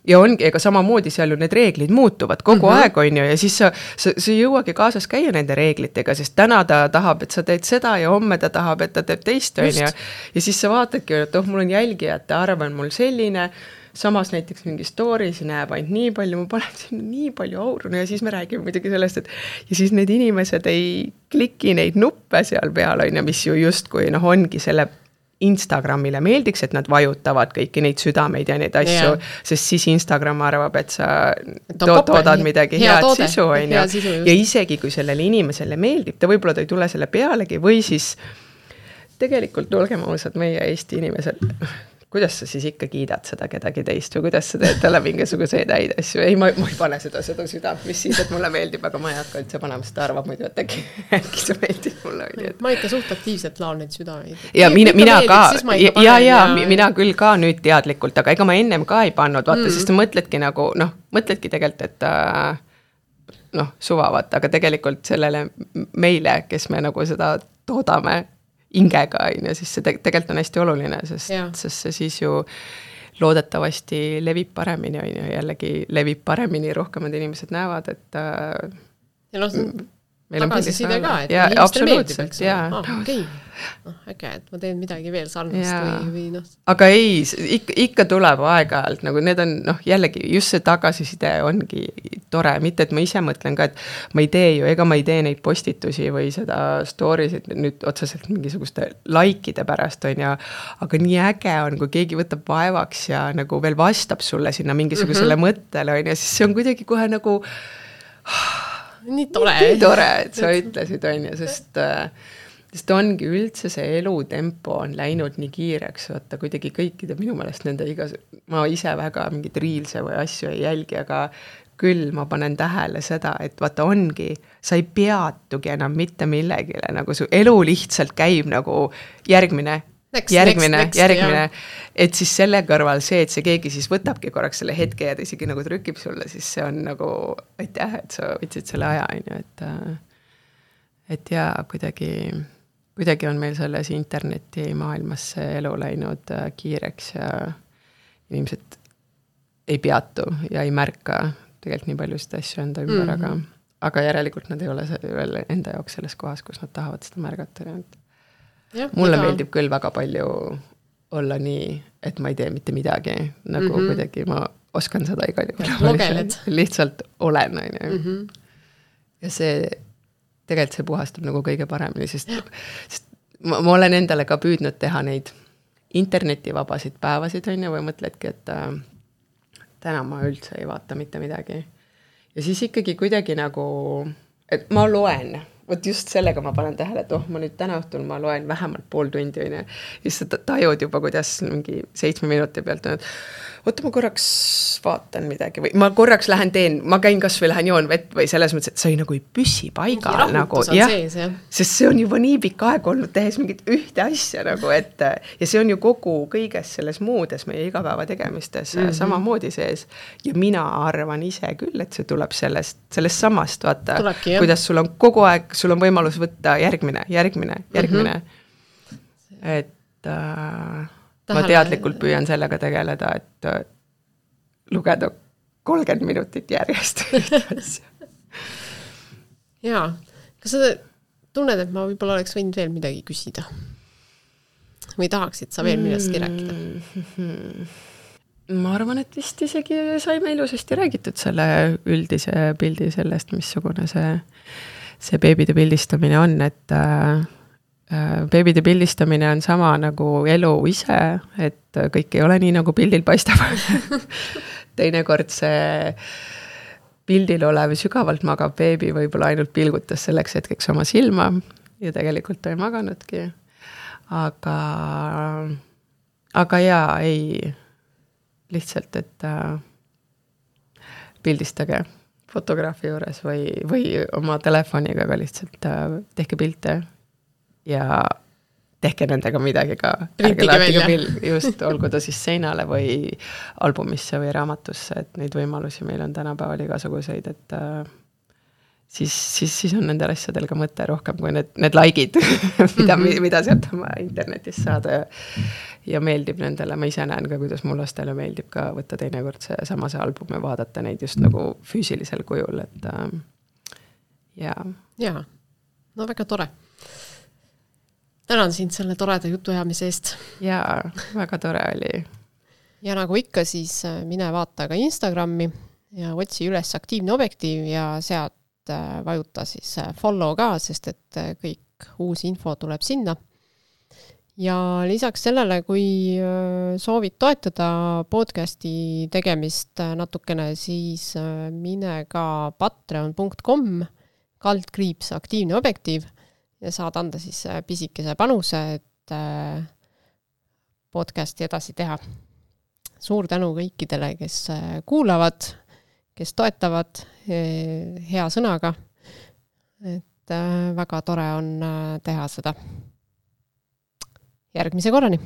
ja ongi, ega samamoodi seal ju need reeglid muutuvad kogu mm-hmm. aeg, on ju, ja siis sa, sa, sa jõuagi kaasas käia nende reeglitega, sest täna ta tahab, et sa teed seda ja homme ta tahab, et ta teeb teist, on ju, ja siis sa vaatadki, et oh, mul on jälgijate arv on mul selline, samas näiteks mingi stories näeb ainult nii palju, ma panen sinna nii palju auru, no ja siis me räägime muidugi sellest, et ja siis need inimesed ei kliki neid nuppe seal peal, on ju, mis ju justkui noh, ongi selle Instagramile meeldiks, et nad vajutavad kõiki neid südameid ja neid asju, yeah. sest siis Instagram arvab, et sa to toodad midagi hea head toode, sisu, on ju. Ja isegi, kui sellele inimesele meeldib, ta võib-olla ta ei tule selle pealegi või siis tegelikult olgem ausad meie Eesti inimesed, kuidas sa siis ikka kiidad seda kedagi teist või kuidas sa teed talle mingisuguseid häid asju. Ei, ma, ma ei pane seda, seda südant, mis siis, et mulle meeldib, aga ma ei hakka üldse panema seda arvab muidu, et äkki, äkki see meeldib mulle. Et... Ma ikka suht aktiivselt laon neid südameid. Ja mina, mina ka, ja, ja, ja mina küll ka nüüd teadlikult, aga ega ma ennem ka ei pannud, vaata, mm. sest mõtledki nagu, noh, mõtledki tegelikult, et noh, suvavat, aga tegelikult sellele meile, kes me nagu seda toodame, ingega, ja siis see tegelikult on hästi oluline, sest, sest see siis ju loodetavasti levib paremini, on ju, jällegi levib paremini, rohkemad inimesed näevad, et ja noh, tagasiside ka, et ja, inimestele meeldib, eks ole. Ah, okei, no, äge, et ma teen midagi veel sarnast või, või noh. Aga ei, ikka, ikka tuleb aeg-ajalt, nagu need on, noh, jällegi just see tagasiside ongi tore, mitte et ma ise mõtlen ka, et ma ei tee ju, ega ma ei tee neid postitusi või seda stories'id nüüd otseselt mingisuguste likeide pärast, on ja, aga nii äge on, kui keegi võtab vaevaks ja nagu veel vastab sulle sinna mingisugusele mm-hmm. mõttele, on ja siis see on kuidagi kohe nagu nii tore. Nii tore, et sa ütlesid, on ja, sest sest ongi üldse see elutempo on läinud nii kiireks, vaata kuidagi kõikide minu meelest nende igas, ma ise väga mingid riilse või asju ei jälgi, aga küll ma panen tähele seda, et vaata ongi, sa ei peatugi enam mitte millegile, nagu su elu lihtsalt käib nagu järgmine, next, järgmine, next, next, järgmine, jah. Et siis selle kõrval see, et see keegi siis võtabki korraks selle hetke ja ta isegi nagu trükib sulle, siis see on nagu, aitäh, et sa võtsid selle aja, on ju, et et jaa, kuidagi kuidagi on meil selles interneti maailmas see elu läinud kiireks ja inimesed ei peatu ja ei märka tegelikult nii palju seda asju enda ümber, mm-hmm. aga, aga järelikult nad ei ole veel enda jaoks selles kohas, kus nad tahavad seda märgata. Ja, mulle iga... meeldib küll väga palju olla nii, et ma ei tee mitte midagi, nagu mm-hmm. kuidagi ma oskan seda igal juhul. Lihtsalt olen, on ju. Mm-hmm. Ja see tegelikult see puhastab nagu kõige paremini, sest, sest ma, ma olen endale ka püüdnud teha neid internetivabasid päevasid, on ju, või mõtledki, et äh, täna ma üldse ei vaata mitte midagi. Ja siis ikkagi kuidagi nagu, et ma loen, vot just sellega ma panen tähele, et oh, ma nüüd täna õhtul ma loen vähemalt pool tundi, on ju, ja siis sa tajud juba, kuidas mingi seitsme minuti pealt on, et oota, ma korraks vaatan midagi või ma korraks lähen teen, ma käin kas või lähen joon vett või selles mõttes, et sa ei nagu ei püsi paigal nagu, jah, sees, jah. Sest see on juba nii pikk aeg olnud tehes mingit ühte asja nagu, et ja see on ju kogu kõiges selles muudes meie igapäeva tegemistes mm-hmm. samamoodi sees ja mina arvan ise küll, et see tuleb sellest, sellest samast, vaata, tulebki, kuidas sul on kogu aeg, sul on võimalus võtta järgmine, järgmine, järgmine, mm-hmm. et äh, ma teadlikult püüan sellega tegeleda, et lugeda kolmkümmend minutit järjest. Jaa, kas sa tunned, et ma võib-olla oleks võinud veel midagi küsida? Või tahaksid sa veel millestki rääkida? Ma arvan, et vist isegi saime ilusasti räägitud selle üldise pildi sellest, missugune see, see beebide pildistamine on, et äh, beebide pildistamine on sama nagu elu ise, et kõik ei ole nii, nagu pildil paistab. Teinekord see pildil olev sügavalt magav beebi võib-olla ainult pilgutas selleks hetkeks oma silma ja tegelikult ta ei maganudki. Aga, aga jaa, ei, lihtsalt, et äh, pildistage fotograafi juures või, või oma telefoniga ka lihtsalt äh, tehke pilte ja tehke nendega midagi ka. Printige välja. Pill, just, olgu ta siis seinale või albumisse või raamatusse, et neid võimalusi meil on tänapäeval igasuguseid, et äh, siis, siis, siis on nendel asjadel ka mõte rohkem kui need, need likeid, mida, mm -hmm. mida sealt oma internetis saada ja, ja meeldib nendele. Ma ise näen ka, kuidas mu lastele meeldib ka võtta teinekord see sama see album ja vaadata neid just nagu füüsilisel kujul, et äh, jaa. Jaa, no väga tore. Tänan sind selle toreda jutuajamise eest. Jaa, väga tore oli. Ja nagu ikka, siis mine vaata ka Instagrami ja otsi üles Aktiivne Objektiiv ja sealt vajuta siis follow ka, sest et kõik uus info tuleb sinna. Ja lisaks sellele, kui soovid toetada podcasti tegemist natukene, siis mine ka patreon punkt com kaldkriips Aktiivne Objektiiv ja saad anda siis pisikese panuse, et podcasti edasi teha. Suur tänu kõikidele, kes kuulavad, kes toetavad hea sõnaga. Et väga tore on teha seda. Järgmise korrani!